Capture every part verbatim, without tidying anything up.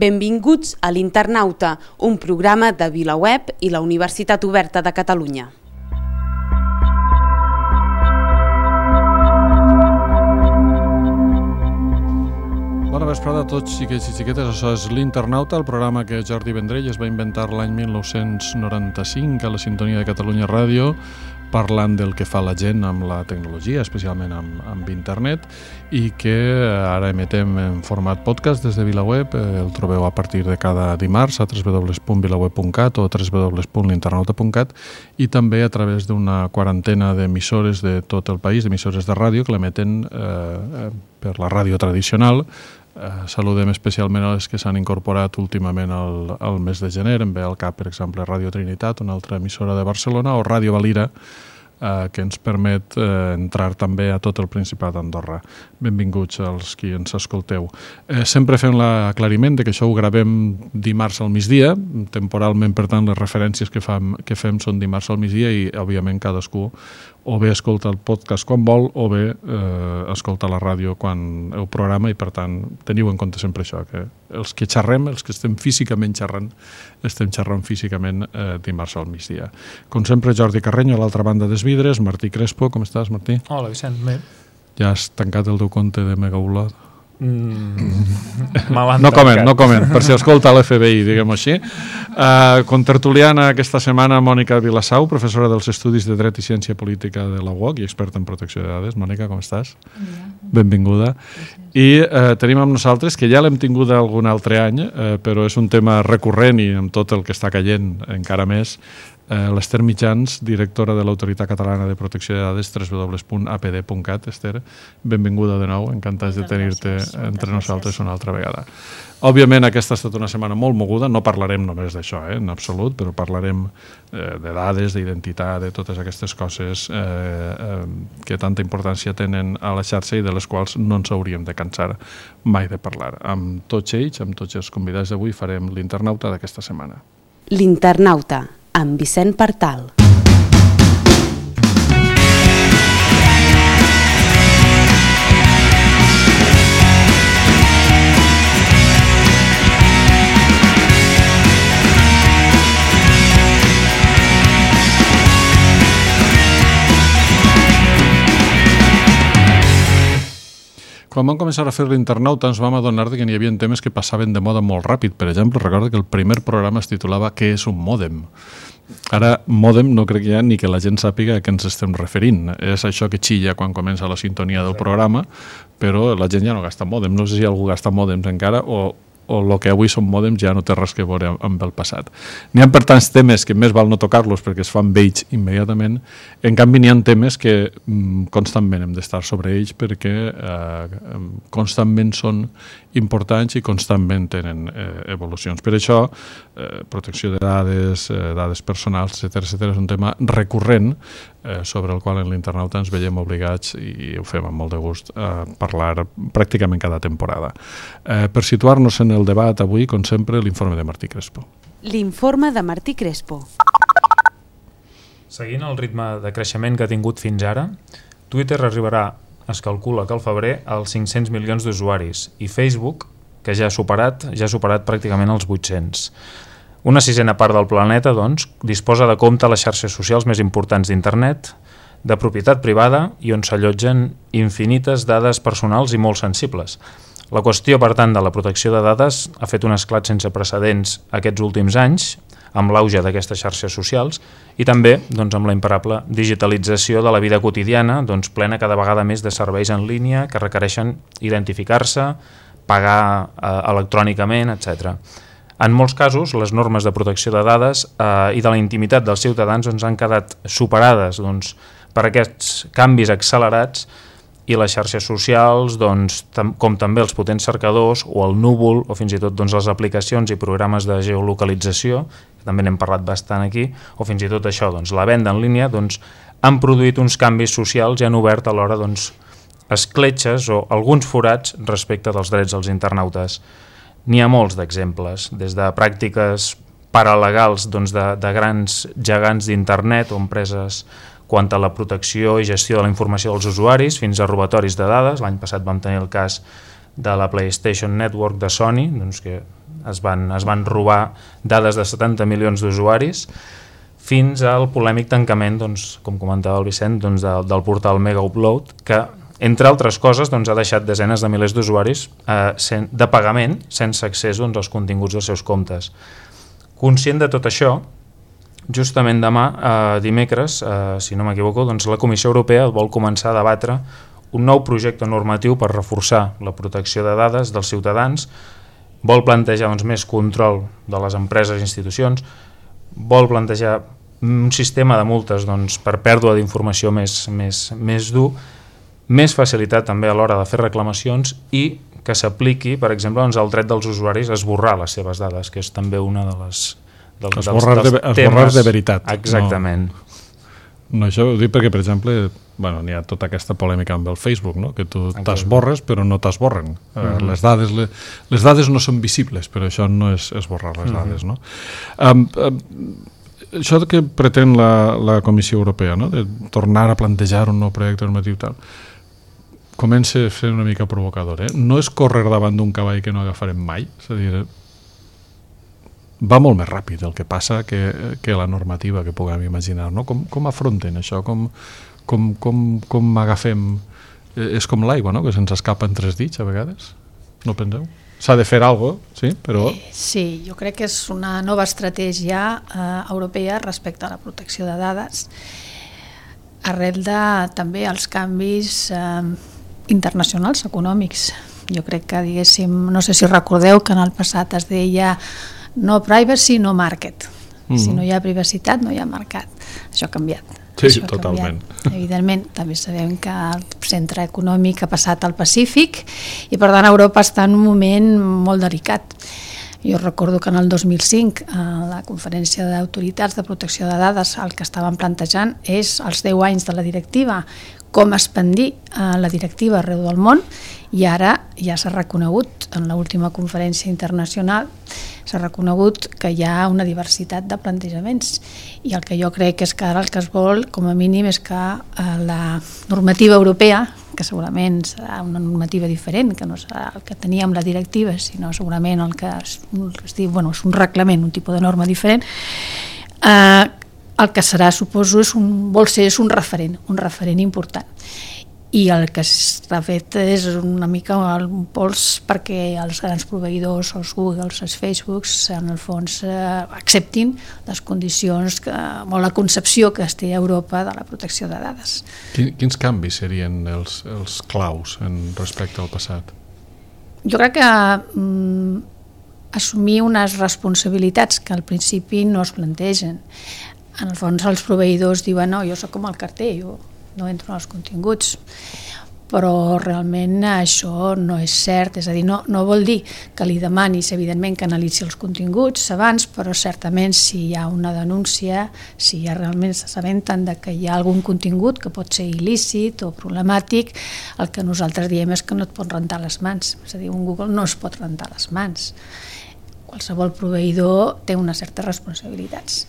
Benvinguts a l'Internauta, un programa de VilaWeb i la Universitat Oberta de Catalunya. Bona vesprada a tots, xiquets i xiquetes. Això és l'Internauta, el programa que Jordi Vendrell es va inventar l'any mil nou-cents noranta-cinc a la sintonia de Catalunya Ràdio, parlant del que fa la gent amb la tecnologia, especialment amb, amb internet, i que ara emetem en format podcast des de VilaWeb. El trobeu a partir de cada dimarts a w w w punt vilaweb punt cat o w w w punt l'internauta punt cat i també a través d'una quarantena d'emissores de tot el país, d'emissores de ràdio que l'emeten eh, per la ràdio tradicional. Uh, saludem especialment a les que s'han incorporat últimament al, al mes de gener. Em ve al cap, per exemple, Ràdio Trinitat, una altra emissora de Barcelona, o Ràdio Valira, uh, que ens permet uh, entrar també a tot el Principat d'Andorra. Benvinguts als qui ens escolteu. Uh, sempre fem l'aclariment de que això ho gravem dimarts al migdia, temporalment, per tant, les referències que, fam, que fem són dimarts al migdia i, òbviament, cadascú o bé escolta el podcast quan vol o bé eh, escolta la ràdio quan el programa i, per tant, teniu en compte sempre això, que els que xerrem, els que estem físicament xerrant, estem xerrant físicament eh, dimarts al migdia. Com sempre, Jordi Carreño, a l'altra banda dels vidres. Martí Crespo, com estàs, Martí? Hola, Vicent, bé. Ja has tancat el teu compte de Megaupload? Mm, no coment, no coment, per si escolta l'F B I, diguem-ho així. Uh, contertuliana aquesta setmana, Mònica Vilassau, professora dels Estudis de Dret i Ciència Política de la U O C i experta en protecció de dades. Mònica, com estàs? Ja. Benvinguda. I uh, tenim amb nosaltres, que ja l'hem tingut algun altre any, uh, però és un tema recurrent i amb tot el que està caient encara més, Uh, l'Ester Mitjans, directora de l'Autoritat Catalana de Protecció de Dades, w w w punt a p d punt cat. Esther, benvinguda de nou, encantats de tenir-te entre nosaltres una altra vegada. Òbviament, aquesta ha estat una setmana molt moguda, no parlarem només d'això, eh, en absolut, però parlarem eh, de dades, d'identitat, de totes aquestes coses eh, eh, que tanta importància tenen a la xarxa i de les quals no ens hauríem de cansar mai de parlar. Amb tots ells, amb tots els convidats d'avui, farem l'Internauta d'aquesta setmana. L'Internauta, amb Vicent Partal. Quan vam començar a fer l'Internauta ens vam adonar que n'hi havia temes que passaven de moda molt ràpid. Per exemple, recordo que el primer programa es titulava «Què és un mòdem?». Ara, mòdem no crec ja ni que la gent sàpiga a què ens estem referint. És això que xilla quan comença la sintonia del programa, però la gent ja no gasta mòdem. No sé si algú gasta mòdems encara o... o el que avui són mòdems ja no té res que veure amb el passat. N'hi ha, per tants temes que més val no tocar-los perquè es fan vells immediatament. En canvi, n'hi ha temes que mm, constantment hem d'estar sobre ells perquè eh, constantment són importants i constantment tenen eh, evolucions. Per això, eh, protecció de dades, eh, dades personals, etcètera, etcètera, és un tema recurrent eh, sobre el qual en l'Internauta ens veiem obligats, i ho fem amb molt de gust, a parlar pràcticament cada temporada. Eh, per situar-nos en el debat avui, com sempre, l'informe de Martí Crespo. L'informe de Martí Crespo. Seguint el ritme de creixement que ha tingut fins ara, Twitter arribarà, es calcula que al febrer, als cinc-cents milions d'usuaris, i Facebook, que ja ha superat, ja ha superat pràcticament els vuit-cents. Una sisena part del planeta, doncs, disposa de compte a les xarxes socials més importants d'internet, de propietat privada i on s'allotgen infinites dades personals i molt sensibles. La qüestió, per tant, de la protecció de dades ha fet un esclat sense precedents aquests últims anys, amb l'auge d'aquestes xarxes socials, i també doncs, amb la imparable digitalització de la vida quotidiana, doncs, plena cada vegada més de serveis en línia que requereixen identificar-se, pagar eh, electrònicament, etcètera. En molts casos, les normes de protecció de dades eh, i de la intimitat dels ciutadans doncs, han quedat superades doncs, per aquests canvis accelerats, i les xarxes socials, doncs, tam com també els potents cercadors o el núvol o fins i tot doncs, les aplicacions i programes de geolocalització, que també n'hem parlat bastant aquí, o fins i tot això, doncs, la venda en línia, doncs, han produït uns canvis socials i han obert alhora doncs, escletxes o alguns forats respecte dels drets dels internautes. N'hi ha molts d'exemples, des de pràctiques paralegals doncs, de, de grans gegants d'internet o empreses quant a la protecció i gestió de la informació dels usuaris, fins a robatoris de dades. L'any passat vam tenir el cas de la PlayStation Network de Sony, doncs que es van, es van robar dades de setanta milions d'usuaris, fins al polèmic tancament, doncs, com comentava el Vicent, doncs, del, del portal Mega Upload, que, entre altres coses, doncs, ha deixat desenes de milers d'usuaris eh, sen, de pagament sense accés doncs, als continguts dels seus comptes. Conscient de tot això, justament demà, eh, dimecres, eh, si no m'equivoco, doncs, la Comissió Europea vol començar a debatre un nou projecte normatiu per reforçar la protecció de dades dels ciutadans, vol plantejar doncs, més control de les empreses i institucions, vol plantejar un sistema de multes doncs, per pèrdua d'informació més, més, més dur, més facilitat també a l'hora de fer reclamacions i que s'apliqui, per exemple, doncs, el dret dels usuaris a esborrar les seves dades, que és també una de les dels, esborrar, dels, dels de, temes... esborrar de veritat. Exactament. No, no això ho dic perquè, per exemple, bueno, n'hi ha tota aquesta polèmica amb el Facebook, no? Que tu t'esborres però no t'esborren. Uh, mm-hmm. les, dades, les, les dades no són visibles, però això no és esborrar les dades. Mm-hmm. no? Um, um, això que pretén la, la Comissió Europea, no? De tornar a plantejar un nou projecte normatiu tal, comença a ser una mica provocador. Eh? No és córrer davant d'un cavall que no agafarem mai, és a dir, va molt més ràpid el que passa que, que la normativa que puguem imaginar. No? Com, com afronten això? Com, com, com, com agafem... És com l'aigua, no? Que se'ns escapa en tres dits a vegades. No penseu? S'ha de fer alguna cosa, sí, però... Sí, jo crec que és una nova estratègia eh, europea respecte a la protecció de dades, arrel de també els canvis eh, internacionals, econòmics. Jo crec que, diguéssim, no sé si recordeu que en el passat es deia no privacy, no market. Mm-hmm. Si no hi ha privacitat, no hi ha mercat. Això ha canviat. Sí, Això totalment. Canviat. Evidentment, també sabem que el centre econòmic ha passat al Pacífic i, per tant, Europa està en un moment molt delicat. Jo recordo que en el dos mil cinc, a la conferència d'autoritats de protecció de dades, el que estaven plantejant és els deu anys de la directiva, com expandir la directiva arreu del món, i ara ja s'ha reconegut, en l'última conferència internacional, s'ha reconegut que hi ha una diversitat de plantejaments, i el que jo crec és que ara el que es vol, com a mínim, és que la normativa europea, que segurament serà una normativa diferent, que no serà el que teníem la directiva, sinó segurament el que es, es diu, bueno, és un reglament, un tipus de norma diferent, eh, el que serà, suposo, és un, vol ser és un referent, un referent important. I el que s'ha fet és una mica un pols perquè els grans proveïdors, els Googles, els Facebooks, en el fons eh, acceptin les condicions que, o la concepció que es té a Europa de la protecció de dades. Quins canvis serien els, els claus en respecte al passat? Jo crec que mm, assumir unes responsabilitats que al principi no es plantegen. En el fons els proveïdors diuen no, jo soc com el carter, jo no entro en els continguts, però realment això no és cert, és a dir, no, no vol dir que li demanis, evidentment, que analitzi els continguts abans, però certament si hi ha una denúncia, si ja realment s'assabenten de que hi ha algun contingut que pot ser il·lícit o problemàtic, el que nosaltres diem és que no et pot rentar les mans, és a dir, un Google no es pot rentar les mans. Qualsevol proveïdor té unes certes responsabilitats.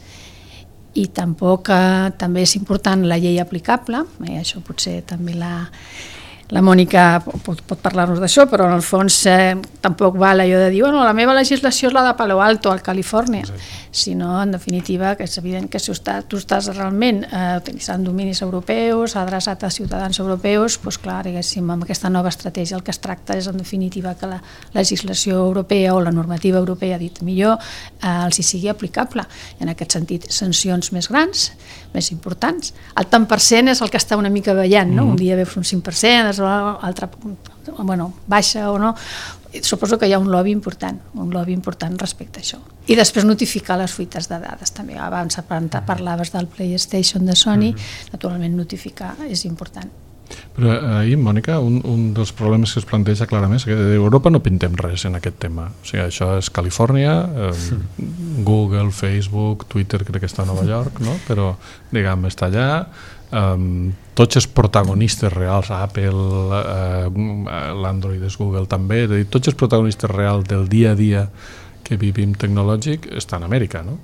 I tampoc eh, també és important la llei aplicable, eh, això potser també la, la Mònica pot, pot parlar-nos d'això, però en el fons eh, tampoc val allò de dir bueno, la meva legislació és la de Palo Alto, al Califòrnia, sí. Sinó en definitiva que és evident que si està, tu estàs realment eh, utilitzant dominis europeus, adreçat a ciutadans europeus, doncs clar, diguéssim, amb aquesta nova estratègia el que es tracta és en definitiva que la legislació europea o la normativa europea, dit millor, eh, els hi sigui aplicable. En aquest sentit, sancions més grans, més importants. El tant per cent és el que està una mica ballant, no? Mm. Un dia veus un cinc per cent, l'altre bueno, baixa o no. Suposo que hi ha un lobby important, un lobby important respecte a això. I després notificar les fuites de dades també. Abans parlaves del PlayStation de Sony, mm-hmm. Naturalment notificar és important. Però ahir, Mònica, un, un dels problemes que es planteja clarament és que d'Europa no pintem res en aquest tema. O sigui, això és Califòrnia, eh, Google, Facebook, Twitter crec que està a Nova York, no? Però, diguem, està allà. Um, tots els protagonistes reals, Apple, uh, l'Android és Google també, és a dir, tots els protagonistes reals del dia a dia que vivim tecnològic estan a Amèrica, no?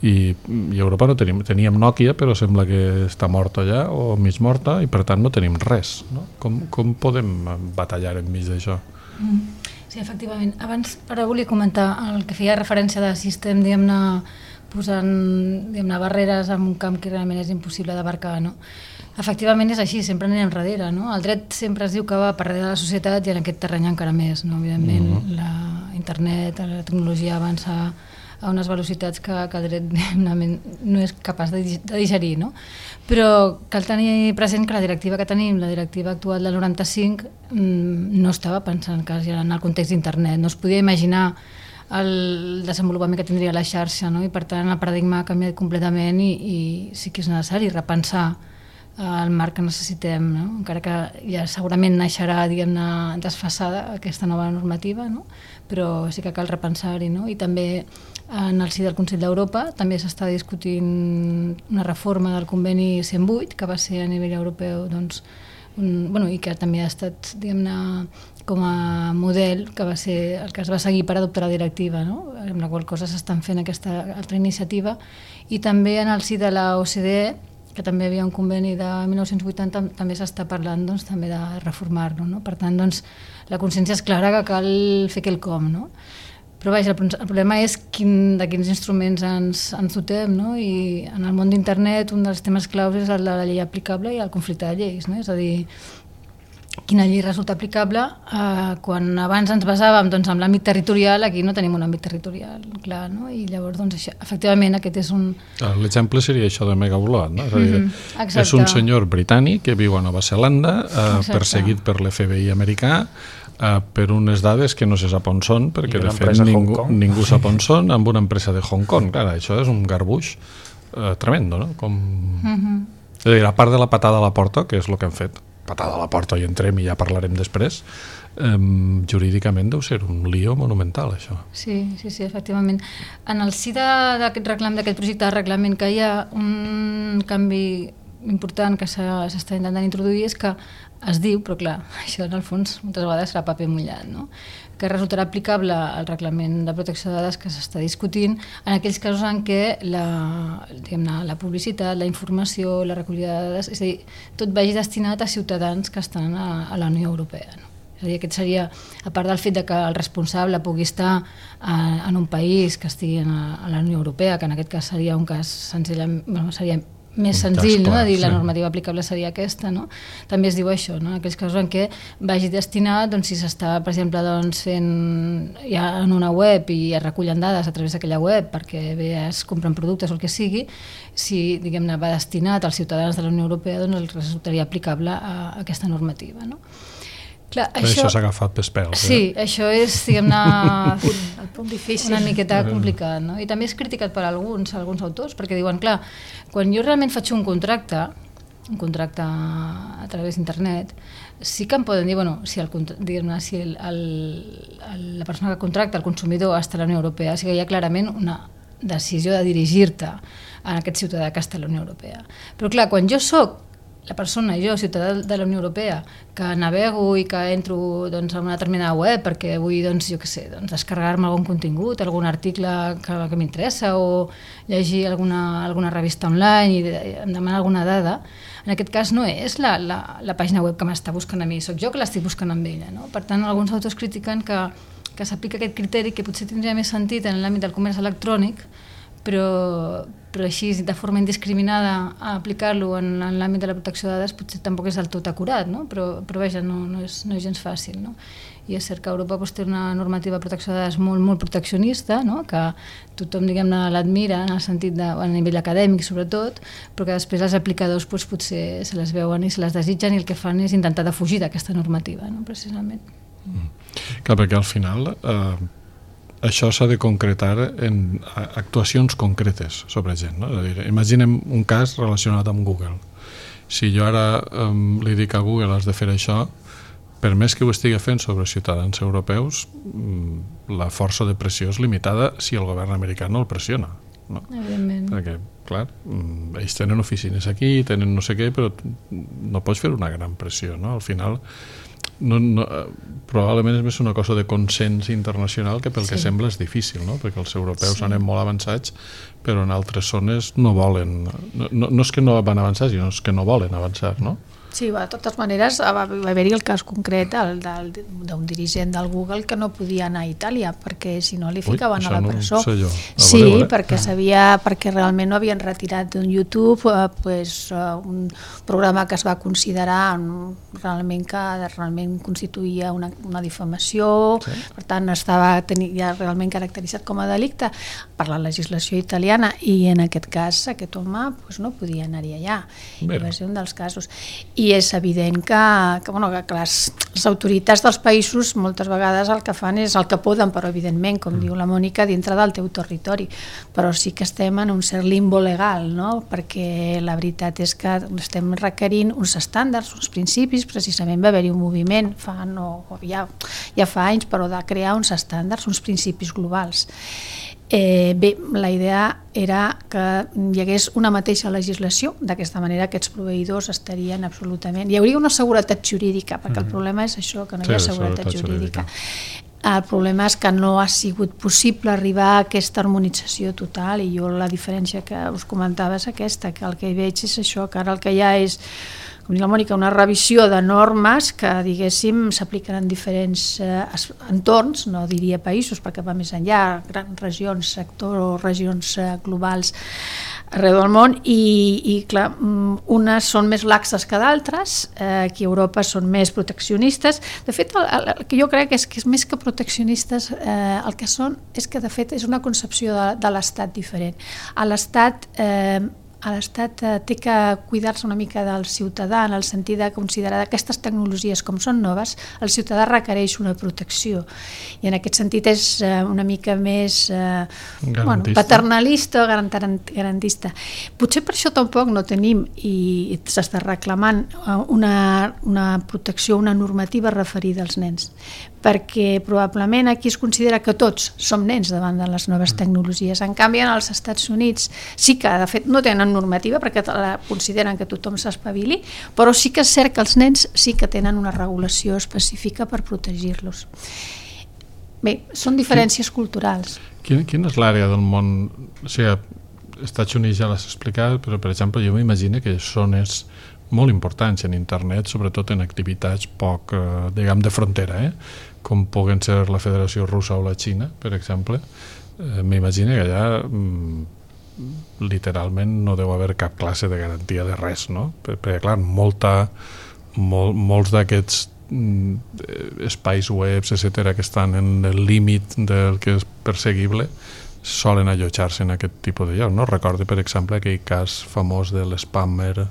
I, i a Europa no tenim, teníem Nokia, però sembla que està morta allà o mig morta i per tant no tenim res, no? Com, com podem batallar enmig d'això? Mm. Sí, efectivament. Abans, ara volia comentar el que feia referència de si estem, diguem-ne, posant, diguem-ne, barreres en un camp que realment és impossible d'abarcar, no? Efectivament és així, sempre anem darrere, no? El dret sempre es diu que va per darrere de la societat i en aquest terreny encara més, no? Evidentment, mm-hmm. la internet, la tecnologia avança a unes velocitats que, que el dret no és capaç de, de digerir, no? Però cal tenir present que la directiva que tenim, la directiva actual del noranta-cinc, no estava pensant que en el context d'internet, no es podia imaginar el desenvolupament que tindria la xarxa, no? I per tant el paradigma ha canviat completament i, i sí que és necessari repensar el marc que necessitem, no? Encara que ja segurament naixerà, diguem-ne, desfasada aquesta nova normativa, no? Però sí que cal repensar-hi, no? I també en el si del Consell d'Europa també s'està discutint una reforma del conveni cent vuit, que va ser a nivell europeu, doncs, un, bueno, i que també ha estat, diguem-ne, com a model, que va ser el que es va seguir per adoptar la directiva, no? Amb la qual cosa s'estan fent aquesta altra iniciativa, i també en el si de la O C D E, que també hi havia un conveni de mil nou-cents vuitanta, també s'està parlant, doncs, també de reformar-lo, no? Per tant, doncs, la consciència és clara que cal fer quelcom, no? Però vaja, el, el problema és quin, de quins instruments ens, ens dotem, no? I en el món d'internet un dels temes claus és el de la llei aplicable i el conflicte de lleis, no? És a dir, quina llei resulta aplicable eh, quan abans ens basàvem, doncs, en l'àmbit territorial, aquí no tenim un àmbit territorial clar, no? I llavors, doncs, això, efectivament aquest és un... L'exemple seria això de Megaupload, no? És a dir, mm-hmm. és un senyor britànic que viu a Nova Zelanda, eh, perseguit per l'F B I americà, eh, per unes dades que no se sap on són, perquè de fet ningú, ningú sap on són, amb una empresa de Hong Kong. Clar, això és un garbuix eh, tremendo, no? Com... Mm-hmm. És a dir, a part de la patada a la porta, que és el que han fet, patada a la porta i entrem i ja parlarem després, eh, jurídicament deu ser un lío monumental, això. Sí, sí, sí, efectivament. En el si d'aquest reclam, d'aquest projecte de reglament, que hi ha un canvi important que s'està intentant introduir és que es diu, però clar, això en el fons moltes vegades serà paper mullat, no? Que resultarà aplicable al reglament de protecció de dades que s'està discutint en aquells casos en què la, diguem-ne, la publicitat, la informació, la recollida de dades, és a dir, tot vagi destinat a ciutadans que estan a, a la Unió Europea, no? És a dir, aquest seria, a part del fet de que el responsable pugui estar a, en un país que estigui a, a la Unió Europea, que en aquest cas seria un cas senzill, bueno, seria més senzill, no? Dir, la normativa aplicable seria aquesta, no? També es diu això, no? Aquells casos en què vagi destinat, doncs, si s'està, per exemple, doncs, fent ja en una web i es recullen dades a través d'aquella web perquè bé es compren productes o el que sigui, si, diguem-ne, va destinat als ciutadans de la Unió Europea, doncs els resultaria aplicable a, a aquesta normativa, no? Clar, això s'ha agafat pels pèls. Sí, eh? això és, diguem-ne, el punt difícil, una miqueta complicat, no? I també és criticat per alguns, alguns autors, perquè diuen, clar, quan jo realment faig un contracte, un contracte a través d'internet, sí que em poden dir, bueno, si, el, diguem-ne, si el, el, el, la persona que contracta, el consumidor, està a la Unió Europea, sí que hi ha clarament una decisió de dirigir-te a aquest ciutadà que està a la Unió Europea. Però clar, quan jo soc la persona, jo, ciutadà de la Unió Europea, que navego i que entro, doncs, a una determinada web perquè vull, doncs, jo què sé, doncs, descarregar-me algun contingut, algun article que, que m'interessa o llegir alguna, alguna revista online i em demana alguna dada, en aquest cas no és la, la, la pàgina web que m'està buscant a mi, soc jo que l'estic buscant amb ella, no? Per tant, alguns autors critiquen que, que s'aplica aquest criteri que potser tindria més sentit en l'àmbit del comerç electrònic, però, però així de forma indiscriminada a aplicar-lo en, en l'àmbit de la protecció de dades potser tampoc és del tot acurat, no? Però, però vaja, no, no, és, no és gens fàcil, no? I és cert que Europa doncs, té una normativa de protecció de dades molt, molt proteccionista, no? Que tothom, diguem-ne, l'admira en el sentit de, a nivell acadèmic sobretot, però que després els aplicadors doncs, potser se les veuen i se les desitgen i el que fan és intentar defugir d'aquesta normativa, no? Precisament. Mm. Clar, perquè al final eh, això s'ha de concretar en actuacions concretes sobre gent, no? És a dir, imaginem un cas relacionat amb Google. Si jo ara um, li dic a Google has de fer això, per més que ho estigui fent sobre ciutadans europeus, la força de pressió és limitada si el govern americà no el pressiona, no? Evidentment. Perquè, clar, ells tenen oficines aquí, tenen no sé què, però no pots fer una gran pressió, no? Al final, no, no, probablement és més una cosa de consens internacional que pel sí. que sembla és difícil, no? Perquè els europeus sí. anem molt avançats, però en altres zones no volen, no, no, no és que no van avançar, sinó és que no volen avançar, no? Sí, de totes maneres va haver-hi el cas concret d'un dirigent del Google que no podia anar a Itàlia perquè si no li ficaven a la presó. Sí, perquè sabia, perquè realment no havien retirat d'un YouTube un programa que es va considerar realment que realment constituïa una difamació, per tant estava ja realment caracteritzat com a delicte per la legislació italiana i en aquest cas aquest home no podia anar-hi allà. Va ser un dels casos. I és evident que, que, bueno, que les, les autoritats dels països moltes vegades el que fan és el que poden, però evidentment, com mm. diu la Mònica, dintre del teu territori. Però sí que estem en un cert limbo legal, no? Perquè la veritat és que estem requerint uns estàndards, uns principis, precisament va haver-hi un moviment fa, no, ja, ja fa anys, però de crear uns estàndards, uns principis globals. Eh, bé, la idea era que hi hagués una mateixa legislació, d'aquesta manera aquests proveïdors estarien absolutament... Hi hauria una seguretat jurídica, perquè mm. el problema és això, que no hi ha sí, seguretat, seguretat jurídica. jurídica. El problema és que no ha sigut possible arribar a aquesta harmonització total i jo la diferència que us comentava és aquesta, que el que hi veig és això, que ara el que hi ha és com diu la Mònica, una revisió de normes que, diguéssim, s'apliquen en diferents eh, entorns, no diria països, perquè va més enllà, grans regions, sectors o regions eh, globals arreu del món, i, i clar, unes són més laxes que d'altres, eh, aquí a Europa són més proteccionistes. De fet, el, el, el que jo crec és que és més que proteccionistes, eh, el que són és que, de fet, és una concepció de, de l'Estat diferent. A l'Estat... Eh, a l'Estat eh, té que cuidar-se una mica del ciutadà en el sentit de considerar que aquestes tecnologies com són noves, el ciutadà requereix una protecció i en aquest sentit és eh, una mica més eh, bueno, paternalista o garantista. Potser per això tampoc no tenim i s'està reclamant una, una protecció, una normativa referida als nens, perquè probablement aquí es considera que tots som nens davant de les noves tecnologies. En canvi, en els Estats Units sí que, de fet, no tenen normativa perquè consideren que tothom s'espavili, però sí que és cert que els nens sí que tenen una regulació específica per protegir-los. Bé, són diferències culturals. Quina, quina és l'àrea del món? O sigui, Estats Units ja l'has explicat, però, per exemple, jo m'imagino que són és molt importants en internet, sobretot en activitats poc, eh, diguem, de frontera, eh? Com puguen ser la Federació Russa o la Xina, per exemple. Eh, m'imagino que allà mm, literalment no deu haver cap classe de garantia de res, no? Perquè, clar, molta, mol, molts d'aquests mm, espais webs, etcètera, que estan en el límit del que és perseguible, solen allotjar-se en aquest tipus de lloc, no? Recordo, per exemple, aquell cas famós de l'spammer,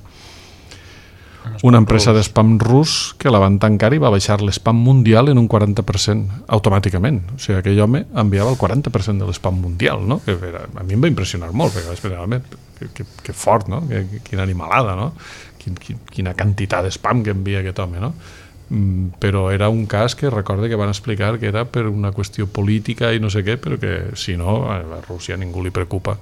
una empresa de spam rus que la van tancar i va baixar l'spam mundial en un quaranta per cent automàticament. O sigui, aquell home enviava el quaranta per cent de l'spam mundial, no? Que era, a mi em va impressionar molt, perquè vaig que, que, que fort, no? Que, quina animalada, no? Quin, quin, quina quantitat d'spam que envia aquest home, no? Mm, però era un cas que recorde que van explicar que era per una qüestió política i no sé què, però que si no, a la Rússia ningú li preocupa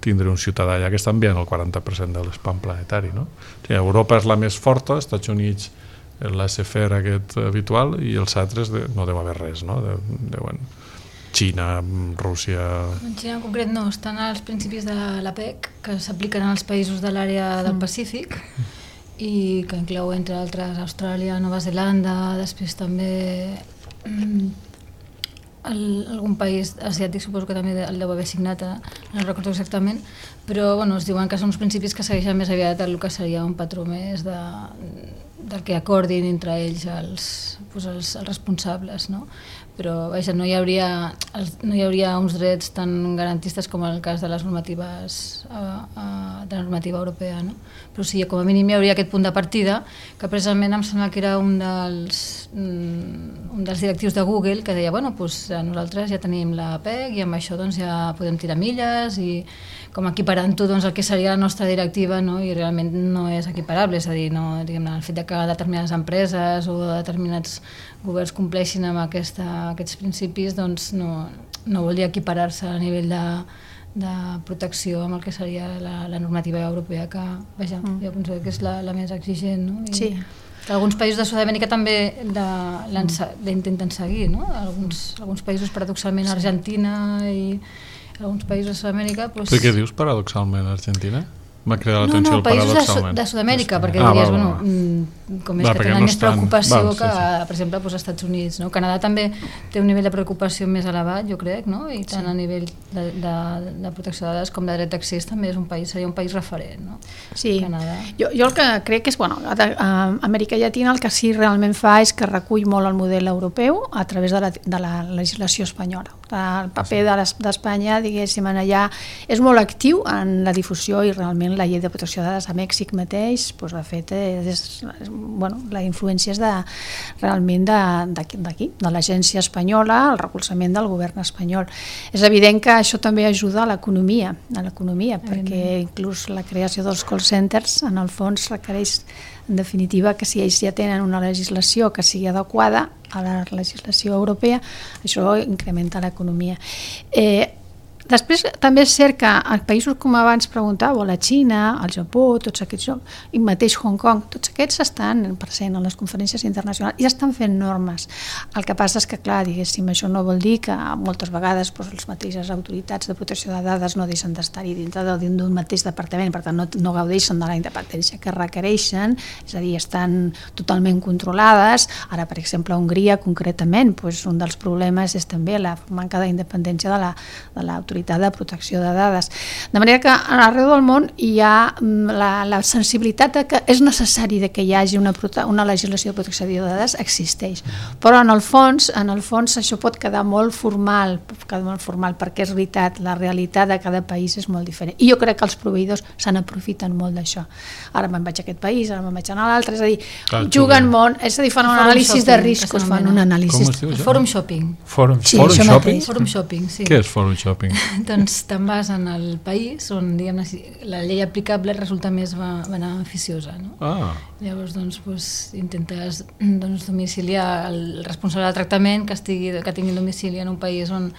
tindre un ciutadà allà que està enviant el quaranta per cent de l'spam planetari, no? O sigui, Europa és la més forta, als Estats Units l'A-C-F-E R aquest habitual i els altres de, no deu haver res, no? De, de, bueno, Xina, Rússia... En Xina en concret no, estan als principis de l'APEC que s'apliquen als països de l'àrea del Pacífic i que inclou, entre altres, Austràlia, Nova Zelanda, després també mm, el, algun país asiàtic, suposo que també el deu haver signat, no recordo exactament, però bueno, es diuen que són uns principis que segueixen més aviat el que seria un patró més de, del que acordin entre ells els, doncs els, els responsables, no? Però vaja, no hi hauria, no hi hauria uns drets tan garantistes com el cas de les normatives a, a, de la normativa europea, no? Però sí, com a mínim hi hauria aquest punt de partida, que precisament em sembla que era un dels, un dels directius de Google que deia, bueno, doncs nosaltres ja tenim la PEC i amb això doncs, ja podem tirar milles i com equiparant-ho doncs, el que seria la nostra directiva, no? I realment no és equiparable, és a dir, no, diguem, el fet de que determinades empreses o determinats governs compleixin amb aquesta, aquests principis doncs no, no vol dir equiparar-se a nivell de, de protecció amb el que seria la, la normativa europea que, vaja, mm. jo penso que és la, la més exigent, no? I sí. Que alguns països de Sud-amèrica també l'intenten seguir, no? Alguns, alguns països, paradoxalment, Argentina i alguns països de Sud-amèrica... Doncs... Per què dius paradoxalment Argentina? m'ha cridat No, l'atenció no, països de, Su- paradoxalment. de Sud-amèrica, perquè Ah, diries, val, bueno, val. mm, com és Val, que perquè tenen no més estan- preocupació val, sí, que, sí. per exemple, doncs, als Estats Units. No? Canadà també té un nivell de preocupació més elevat, jo crec, no? I tant a nivell de, de, de protecció de dades com de dret d'accés també és un país, seria un país referent, no? Sí, Canadà. jo, jo el que crec és, bueno, a, a Amèrica Llatina el que sí realment fa és que recull molt el model europeu a través de la, de la legislació espanyola. El paper de les- d'Espanya, diguéssim, en allà és molt actiu en la difusió i realment la llei de protecció de dades a Mèxic mateix, doncs, de fet, és, és, bueno, la influència és de, realment de- d'aquí, d'aquí, de l'agència espanyola, el recolzament del govern espanyol. És evident que això també ajuda a l'economia, a l'economia, perquè inclús la creació dels call centers en el fons requereix, en definitiva, que si ells ja tenen una legislació que sigui adequada a la legislació europea, això incrementa l'economia. Eh, Després també és cert que en països com abans preguntàveu, la Xina, el Japó, tots aquests jocs, i mateix Hong Kong, tots aquests estan present en les conferències internacionals i estan fent normes. El que passa és que, clar, diguéssim, això no vol dir que moltes vegades doncs, les mateixes autoritats de protecció de dades no deixen d'estar-hi dintre d'un mateix departament, per tant no, no gaudeixen de la independència que requereixen, és a dir, estan totalment controlades. Ara, per exemple, a Hongria, concretament, doncs, un dels problemes és també la manca d'independència de la, de l'autoritat de protecció de dades. De manera que arreu del món hi ha la, la sensibilitat de que és necessari de que hi hagi una, una legislació de protecció de dades, existeix. Però en el fons, en el fons això pot quedar molt formal, pot quedar molt formal perquè és veritat, la realitat de cada país és molt diferent. I jo crec que els proveïdors se n'aprofiten molt d'això. Ara me'n vaig a aquest país, ara me'n vaig a l'altre, és a dir, Clar, juguen molt, és a dir, fan un anàlisi de riscos, fan un anàlisi... Com es diu això? Forum shopping. Forum, Sí, Forum això shopping? mateix. Forum shopping, sí. Què és forum shopping? Doncs te'n vas en el país on, diguem-ne, la llei aplicable resulta més beneficiosa, no? Ah, Llavors, doncs, doncs intentes doncs, domiciliar el responsable del tractament que, estigui, que tingui domicili en un país on,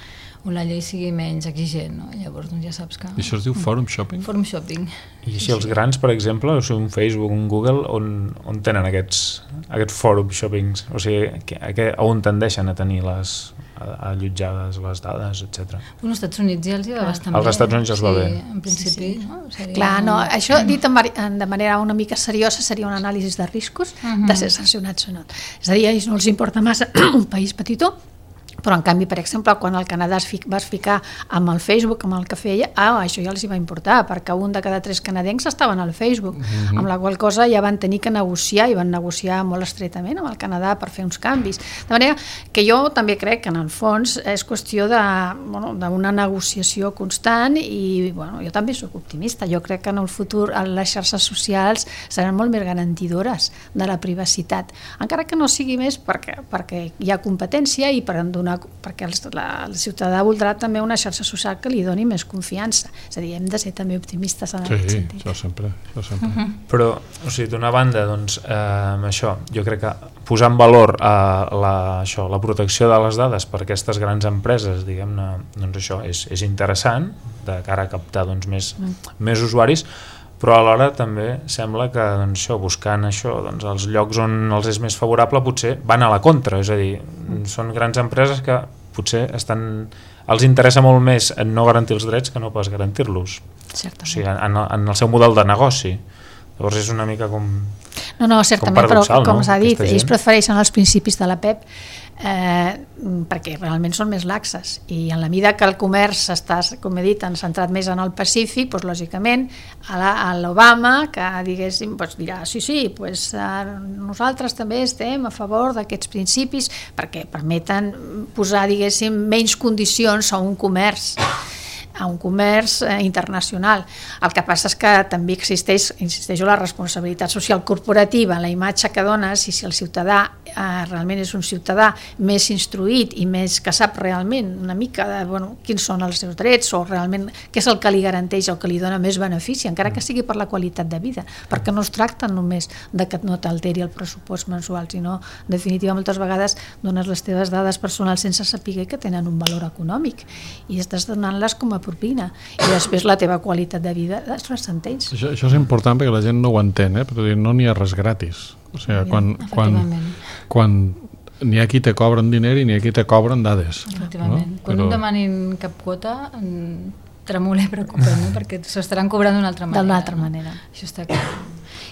on la llei sigui menys exigent, no? Llavors, doncs ja saps que... i això es diu forum shopping? Forum shopping. I així els grans, per exemple, o sigui, un Facebook, un Google, on, on tenen aquests, aquests forum shoppings? O sigui, que, que, on tendeixen a tenir les allotjades, les dades, etcètera. Bueno, als Estats Units ja els hi va bastant Als bé. Estats Units ja els va bé. Sí, en principi, Sí, sí. no? Seria... Clar, no, això dit de manera una mica seriosa seria un anàlisi de riscos Uh-huh. de ser sancionats o no. És a dir, a ells no els importa massa un país petitó, però en canvi, per exemple, quan el Canadà es fic, vas ficar amb el Facebook, amb el que feia, ah, això ja els hi va importar, perquè un de cada tres canadencs estaven al Facebook, uh-huh. amb la qual cosa ja van tenir que negociar, i van negociar molt estretament amb el Canadà per fer uns canvis. De manera que jo també crec que en el fons és qüestió de, bueno, d'una negociació constant i bueno, jo també soc optimista, jo crec que en el futur les xarxes socials seran molt més garantidores de la privacitat, encara que no sigui més perquè, perquè hi ha competència i per donar perquè el, la, el ciutadà voldrà també una xarxa social que li doni més confiança. És a dir, hem de ser també optimistes en sí, aquest sentit. això sempre. Això sempre. Uh-huh. Però, o sigui, d'una banda, doncs, eh, això, jo crec que posar en valor eh, la, això, la protecció de les dades per aquestes grans empreses, diguem-ne, doncs això és, és interessant, de cara a captar doncs, més, mm. més usuaris, però alhora també sembla que doncs, això, buscant això, doncs, els llocs on els és més favorable potser van a la contra, és a dir, són grans empreses que potser estan, els interessa molt més en no garantir els drets que no pas garantir-los, o sigui, en, en el seu model de negoci. Llavors és una mica com... No, no, certament, però com no? s'ha dit, Aquesta ells gent. prefereixen els principis de la P E P eh, perquè realment són més laxes i en la mida que el comerç està, com he dit, han centrat més en el Pacífic, doncs, lògicament a l'Obama que diguéssim, doncs, dirà sí, sí, doncs, eh, nosaltres també estem a favor d'aquests principis perquè permeten posar, diguéssim, menys condicions a un comerç a un comerç eh, internacional. El que passa és que també existeix, insisteixo, la responsabilitat social corporativa, la imatge que dones, i si el ciutadà eh, realment és un ciutadà més instruït i més que sap realment una mica de bueno, quins són els seus drets o realment què és el que li garanteix o que li dona més benefici, encara que sigui per la qualitat de vida, perquè no es tracta només de que no t'alteri el pressupost mensual, sinó, en definitiva, moltes vegades dones les teves dades personals sense saber que tenen un valor econòmic i estàs donant-les com a propina i després la teva qualitat de vida es ressenteix. Això, això és important perquè la gent no ho entén, eh? Però no n'hi ha res gratis. O sigui, quan, quan, quan n'hi ha qui te cobren diner i n'hi ha qui te cobren dades. Efectivament. No? Quan Però... no demanin cap quota, tremoler preocupant, no? Perquè s'ho estaran cobrant d'una altra manera. D'una altra manera. No? Això està clar.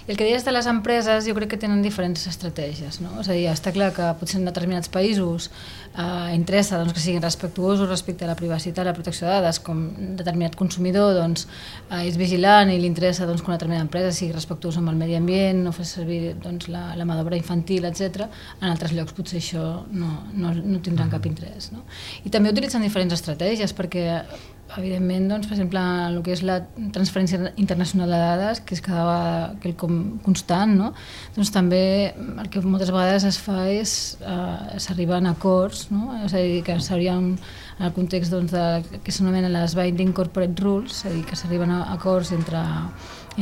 I el que deies de les empreses, jo crec que tenen diferents estratègies, no? És a dir, està clar que potser en determinats països eh, interessa doncs, que siguin respectuosos respecte a la privacitat, la protecció de dades, com determinat consumidor doncs, eh, és vigilant i li interessa doncs, que una determinada empresa sigui respectuosa amb el medi ambient, no fes servir doncs, la, la mà d'obra infantil, etcètera. En altres llocs potser això no, no, no tindran cap interès. No? I també utilitzen diferents estratègies perquè evidentment, doncs, per exemple, el que és la transferència internacional de dades, que és cada vegada quelcom constant, no? Doncs també el que moltes vegades es fa és eh, s'arriba a acords, no? És a dir, que s'haurien, en el context doncs, de, que s'anomenen les Binding Corporate Rules, és a dir, que s'arriben a acords entre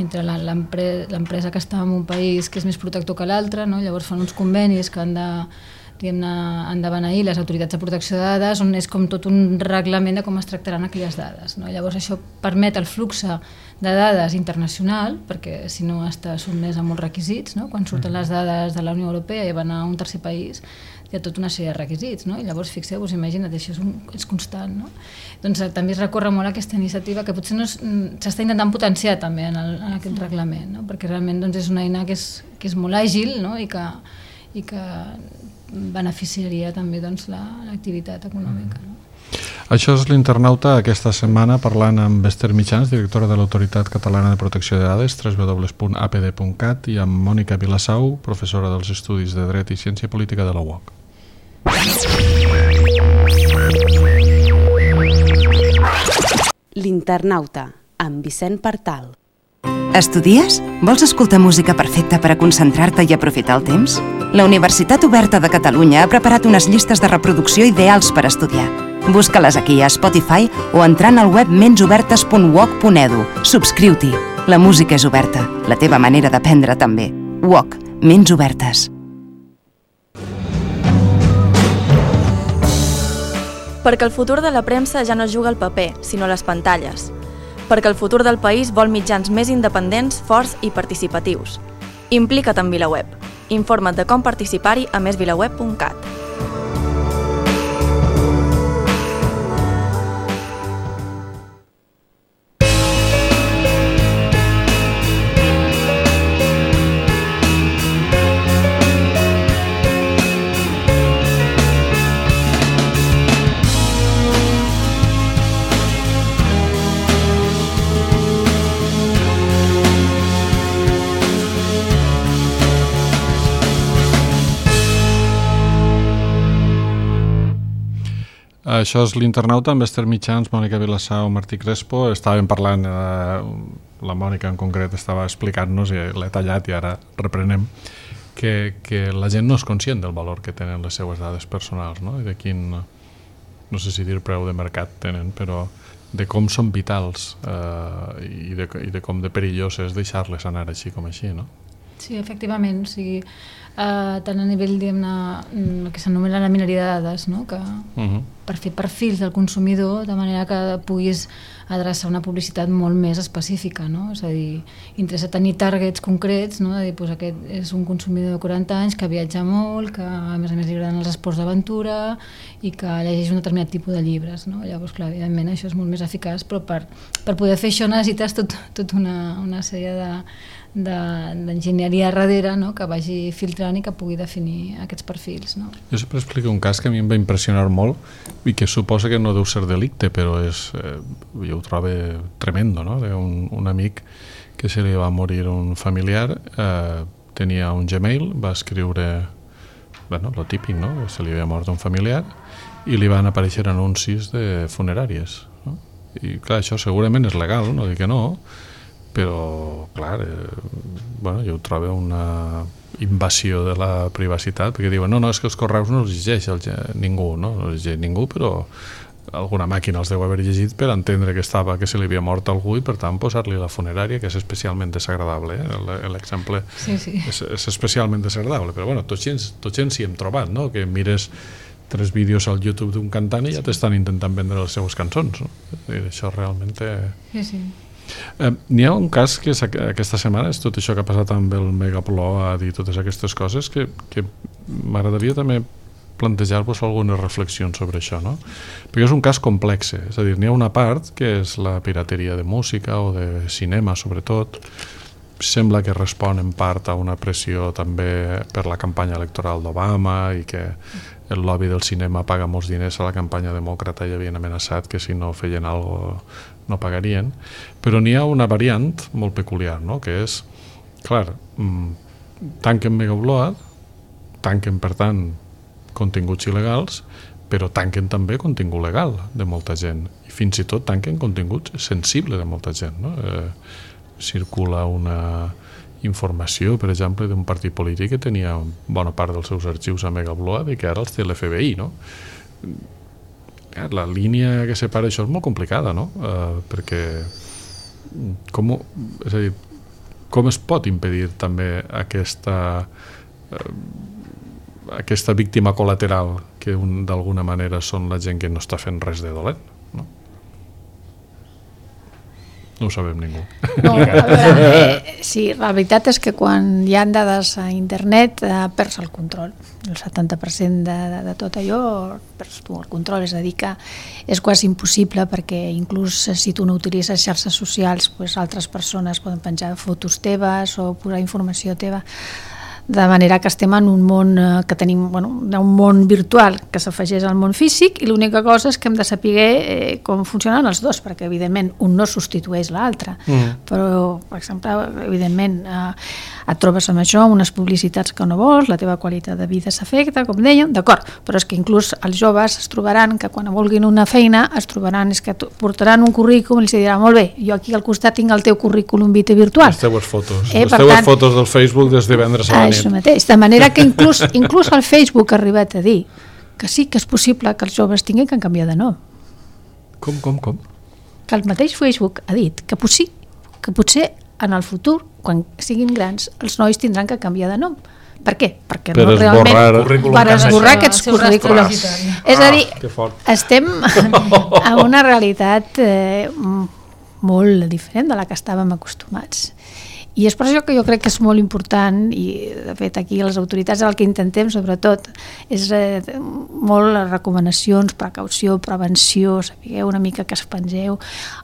entre l'empresa que està en un país que és més protector que l'altre, no? Llavors fan uns convenis que han de han de beneir les autoritats de protecció de dades, on és com tot un reglament de com es tractaran aquelles dades. No? Llavors això permet el flux de dades internacional, perquè si no està sotmès a molts requisits, no? Quan surten les dades de la Unió Europea i van a un tercer país, hi ha tota una sèrie de requisits, no? I llavors fixeu-vos, imagina't, això és, un, és constant, no? Doncs també es recorre molt aquesta iniciativa que potser no s'està intentant potenciar també en, el, en aquest reglament, no? Perquè realment doncs, és una eina que és, que és molt àgil, no? I que, i que beneficiaria també doncs, l'activitat econòmica. No? Això és l'Internauta aquesta setmana parlant amb Esther Mitjans, directora de l'Autoritat Catalana de Protecció de Dades, w w w punt a p d punt cat, i amb Mònica Vilassau, professora dels Estudis de Dret i Ciència Política de la U O C. L'Internauta, amb Vicent Partal. Estudies? Vols escoltar música perfecta per a concentrar-te i aprofitar el temps? La Universitat Oberta de Catalunya ha preparat unes llistes de reproducció ideals per estudiar. Busca-les aquí a Spotify o entrant al web mensobertes punt u o c punt e d u. Subscriu-t'hi. La música és oberta. La teva manera d'aprendre també. U O C. Ments obertes. Perquè el futur de la premsa ja no juga al paper, sinó a les pantalles. Perquè el futur del país vol mitjans més independents, forts i participatius. Implica't en VilaWeb. Informa't de com participar-hi a més vilaweb punt cat. Això és l'Internauta amb Esther Mitjans, Mònica Vilassau, Martí Crespo. Estàvem parlant, eh, la Mònica en concret estava explicant-nos, i l'he tallat i ara reprenem, que, que la gent no és conscient del valor que tenen les seues dades personals, no? I de quin, no sé si dir preu de mercat tenen, però de com són vitals eh, i, de, i de com de perillós és deixar-les anar així com així, no? Sí, efectivament, o sigui, eh, tant a nivell, diguem-ne, el que s'anomena la mineria de dades, no? Que uh-huh. per fer perfils del consumidor de manera que puguis adreçar una publicitat molt més específica, no? És a dir, interessa tenir targets concrets, no? De dir, doncs aquest és un consumidor de quaranta anys que viatja molt, que a més a més li agraden els esports d'aventura i que llegeix un determinat tipus de llibres, no? Llavors, clar, evidentment això és molt més eficaç, però per, per poder fer això necessites tot, tot una, una sèrie de d'enginyeria darrere, no? Que vagi filtrant i que pugui definir aquests perfils, no? Jo sempre explico un cas que a mi em va impressionar molt i que suposa que no deu ser delicte, però és, eh, jo ho trobo tremendo, no? Un, un amic que se li va morir un familiar, eh, tenia un Gmail, va escriure, bueno, lo típic, no? Se li havia mort un familiar i li van aparèixer anuncis de funeràries, no? I clar, això segurament és legal, no dic que no, però, clar, eh, bueno, jo ho trobo una invasió de la privacitat, perquè diuen, no, no, és que els correus no els llegeix el, ningú, no? No els llegeix ningú, però alguna màquina els deu haver llegit per entendre que estava, que se li havia mort algú i, per tant, posar-li la funerària, que és especialment desagradable, eh? L'exemple sí, sí. És, és especialment desagradable, però, bueno, tots gens, tots gens hi hem trobat, no? Que mires tres vídeos al YouTube d'un cantant i ja t'estan intentant vendre les seues cançons, no? I això realment té... Sí, sí. Eh, n'hi ha un cas que és, aquesta setmana és tot això que ha passat amb el Megaplot, a dir totes aquestes coses, que, que m'agradaria també plantejar-vos algunes reflexions sobre això, no? Perquè és un cas complex, és a dir, n'hi ha una part que és la pirateria de música o de cinema, sobretot. Sembla que respon en part a una pressió també per la campanya electoral d'Obama i que el lobby del cinema paga molts diners a la campanya demòcrata i havien amenaçat que si no feien alguna cosa no pagarien. Però n'hi ha una variant molt peculiar, no? Que és, clar, tanquen Megaupload, tanquen, per tant, continguts il·legals, però tanquen també contingut legal de molta gent. I fins i tot tanquen contingut sensible de molta gent, no? Eh, circula una informació, per exemple, d'un partit polític que tenia bona part dels seus arxius a Megaupload i que ara els té l'F B I, no? La línia que separa això és molt complicada, no? Eh, perquè com, és a dir, com es pot impedir també aquesta eh, aquesta víctima col·lateral que d'alguna manera són la gent que no està fent res de dolent, no? No ho sabem ningú. No, a veure, eh, sí, la veritat és que quan hi ha dades a internet eh, perds el control. El setanta per cent de, de, de tot allò perds tu el control, és a dir que és quasi impossible perquè inclús si tu no utilitzes xarxes socials, pues, altres persones poden penjar fotos teves o posar informació teva. De manera que estem en un món que tenim, bueno, un món virtual que s'afegeix al món físic i l'única cosa és que hem de saber eh, com funcionen els dos, perquè evidentment un no substitueix l'altre, mm. però per exemple, evidentment eh, et trobes amb això, unes publicitats que no vols, la teva qualitat de vida s'afecta, com dèiem, d'acord, però és que inclús els joves es trobaran que quan vulguin una feina es trobaran, és que portaran un currículum i els diran, molt bé, jo aquí al costat tinc el teu currículum vitae virtual. Les teues fotos, eh, les teues tant, fotos del Facebook des de divendres a la nit. Això mateix, de manera que inclús, inclús el Facebook ha arribat a dir que sí que és possible que els joves tinguin que canviar de nom. Com, com, com? Que el mateix Facebook ha dit que, possi, que potser en el futur, quan siguin grans, els nois tindran que canviar de nom. Per què? Perquè per no realment esborrar, per esborrar aquests currículums. És a dir, ah, estem en una realitat eh, molt diferent de la que estàvem acostumats. I és per això que jo crec que és molt important, i de fet aquí les autoritats el que intentem sobretot és eh, molt les recomanacions, precaució, prevenció, sapigueu una mica que es pengeu.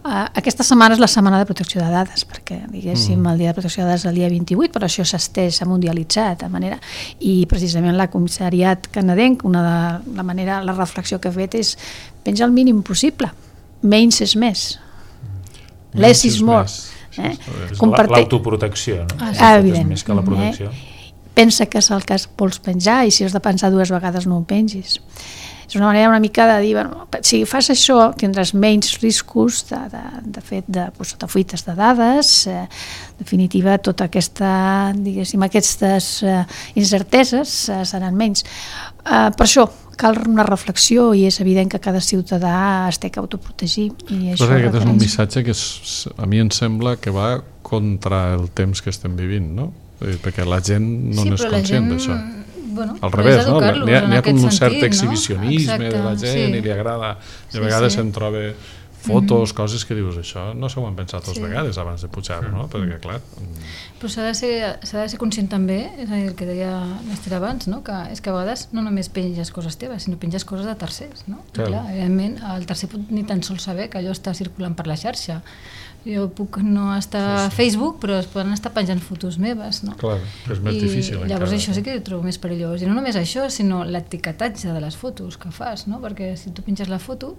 Uh, aquesta setmana és la setmana de protecció de dades, perquè diguéssim mm. el dia de protecció de dades és el dia vint-i-vuit, però això s'ha estès, s'ha mundialitzat de manera, i precisament la comissariat canadenc, una de la manera, la reflexió que ha fet és penja el mínim possible, menys és més, less is more. Eh? L'autoprotecció, no? Ah, evident. Més que la protecció. Eh? Pensa que és el que vols penjar i si has de pensar dues vegades no ho pengis. És una manera una mica de dir, bueno, si fas això tindràs menys riscos de, de, de fet de, doncs, de fuites de dades, eh, en definitiva tota aquesta, diguéssim, aquestes eh, incerteses eh, seran menys. Eh, per això cal una reflexió i és evident que cada ciutadà es té que autoprotegir. I això Però aquest és un missatge que és, a mi em sembla que va contra el temps que estem vivint, no? Perquè la gent no sí, n'és conscient d'això. Bueno, al revés, no? N'hi ha, ha com un cert sentit, exhibicionisme no? de la gent sí. I li agrada, i a vegades sí, sí. se'n troba fotos, mm-hmm. coses que dius, això no s'ho han pensat dues sí. vegades abans de pujar-ho, no? Perquè clar... Però s'ha de, ser, s'ha de ser conscient també, és a dir, el que deia l'Ester abans, no? Que és que a vegades no només penges coses teves, sinó penges coses de tercers, no? Clar. Clar, evidentment, el tercer pot ni tan sols saber que allò està circulant per la xarxa. Jo puc no estar sí, sí. a Facebook, però es poden estar penjant fotos meves, no? Clar, és més I difícil. Llavors encara. Això sí que ho trobo més perillós. I no només això, sinó l'etiquetatge de les fotos que fas, no? Perquè si tu penges la foto,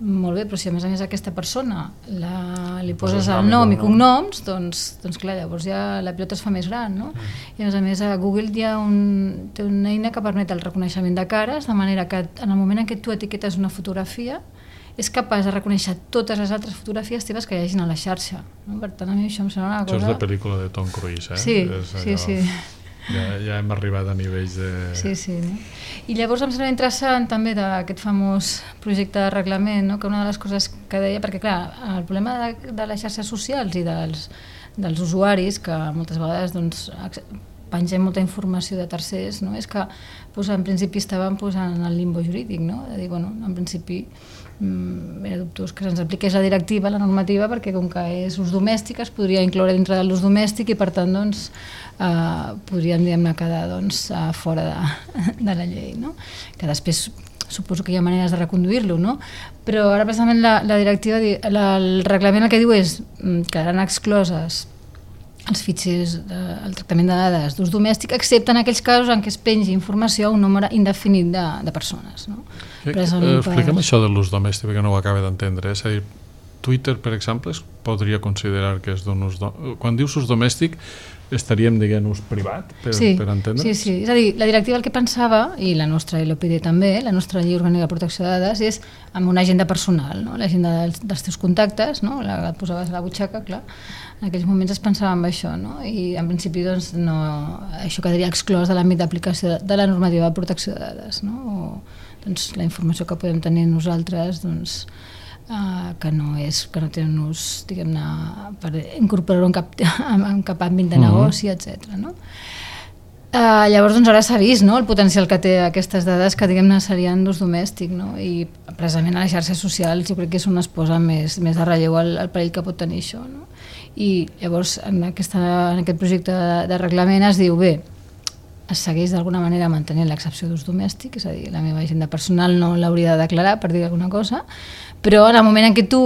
molt bé, però si a més a més aquesta persona la, li poses el nom i cognoms, doncs, doncs clar, llavors ja la pilota es fa més gran, no? Mm. I a més a més a Google hi ha un, té una eina que permet el reconeixement de cares, de manera que en el moment en què tu etiquetes una fotografia és capaç de reconèixer totes les altres fotografies teves que hi hagin a la xarxa, no? Per tant, a mi això em sembla una cosa... Això és de pel·lícula de Tom Cruise, eh? Sí, és sí, sí. Ja, ja hem arribat a nivells de... Sí, sí. No? I llavors em sembla interessant també d'aquest famós projecte de reglament, no? Que una de les coses que deia, perquè clar, el problema de, de les xarxes socials i dels, dels usuaris, que moltes vegades doncs, pengem molta informació de tercers, no? És que doncs, en principi estàvem doncs, en el limbo jurídic, no? De dir, bueno, en principi era dubtós que se'ns apliqués la directiva, la normativa, perquè com que és ús domèstic es podria incloure dintre de l'ús domèstic i per tant doncs, eh, podríem diguem-ne quedar doncs, fora de, de la llei, no? Que després suposo que hi ha maneres de reconduir-lo, no? Però ara precisament la, la directiva, la, el reglament el que diu és que quedaran excloses els fitxers, de, el tractament de dades d'ús domèstic, excepte en aquells casos en què es pengi informació a un nombre indefinit de, de persones, no? Eh, eh, expliquem per... això de l'ús domèstic, perquè no ho acaba d'entendre. És a dir, Twitter, per exemple, es podria considerar que és d'un ús... Do... Quan dius ús domèstic, estaríem dient ús privat, per, sí, per entendre? Sí, sí. És a dir, la directiva el que pensava, i la nostra L O P D també, la nostra llei orgànica de protecció de dades, és amb una agenda personal, no? L'agenda dels, dels teus contactes, no? La que et posaves a la butxaca, clar. En aquells moments es pensava en això, no? I en principi doncs, no, això quedaria exclòs de l'àmbit d'aplicació de la normativa de protecció de dades, no? O, doncs, la informació que podem tenir nosaltres doncs, uh, que no és que no té un ús, diguem-ne, per incorporar-ho en cap, en cap àmbit de negoci, uh-huh. etcètera. No? Uh, llavors doncs, ara s'ha vist, no? El potencial que té aquestes dades que diguem-ne serien d'ús domèstic, no? I precisament a les xarxes socials jo crec que és on es posa més, més de relleu el, el perill que pot tenir això, no? I llavors en, aquesta, en aquest projecte de, de reglament es diu bé, es segueix d'alguna manera mantenint l'excepció d'ús domèstic, és a dir, la meva agenda personal no l'hauria de declarar per dir alguna cosa, però en el moment en què tu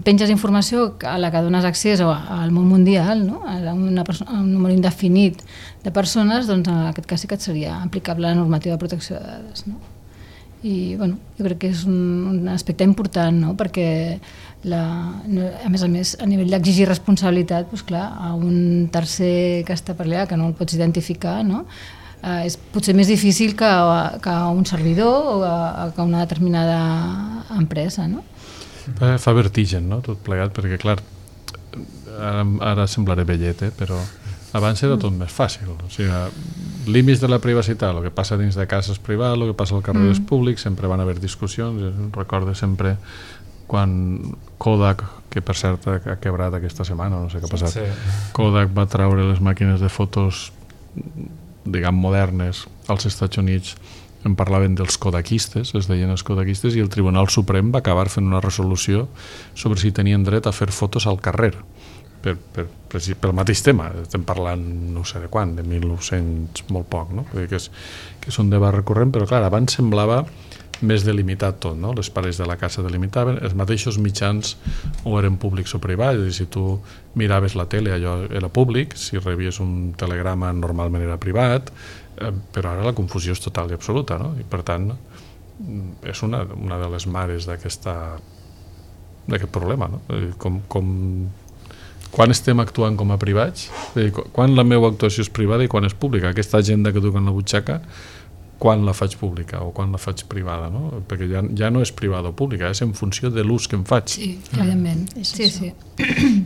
penges informació a la que dones accés al món mundial, no? A, una persona, a un número indefinit de persones, doncs en aquest cas sí que et seria aplicable la normativa de protecció de dades, no? I bueno, jo crec que és un, un aspecte important, no? Perquè la, a més a més a nivell d'exigir responsabilitat, doncs clar, a un tercer que està per allà que no el pots identificar, no? Eh, és potser més difícil que, que a un servidor o a, que a una determinada empresa, no? Fa vertigen, no? Tot plegat, perquè clar, ara, ara semblaré vellet, eh? Però abans era tot més fàcil, o sigui, límits de la privacitat, el que passa dins de cases privades, el que passa al carrer mm. públic, sempre van haver discussions, recordo sempre quan Kodak, que per cert ha quebrat aquesta setmana, no sé què ha passat, sí. Kodak va traure les màquines de fotos, diguem, modernes als Estats Units, en parlaven dels kodakistes, es deien els kodakistes, i el Tribunal Suprem va acabar fent una resolució sobre si tenien dret a fer fotos al carrer, per, per, per, pel mateix tema. Estem parlant no sé de quan, de mil nou-cents molt poc, no? Vull dir que, és, que és un debat recurrent, però clar, abans semblava més delimitat tot, no? Les parets de la casa delimitaven, els mateixos mitjans o eren públics o privats, és a dir, si tu miraves la tele allò era públic, si rebies un telegrama normalment era privat, eh, però ara la confusió és total i absoluta, no? I per tant és una, una de les mares d'aquesta d'aquest problema, no? Com, com quan estem actuant com a privats, quan la meva actuació és privada i quan és pública, aquesta agenda que duc en la butxaca, quan la faig pública o quan la faig privada, no? Perquè ja, ja no és privada o pública, és en funció de l'ús que em faig. Sí, evidentment. Mm. Sí, sí.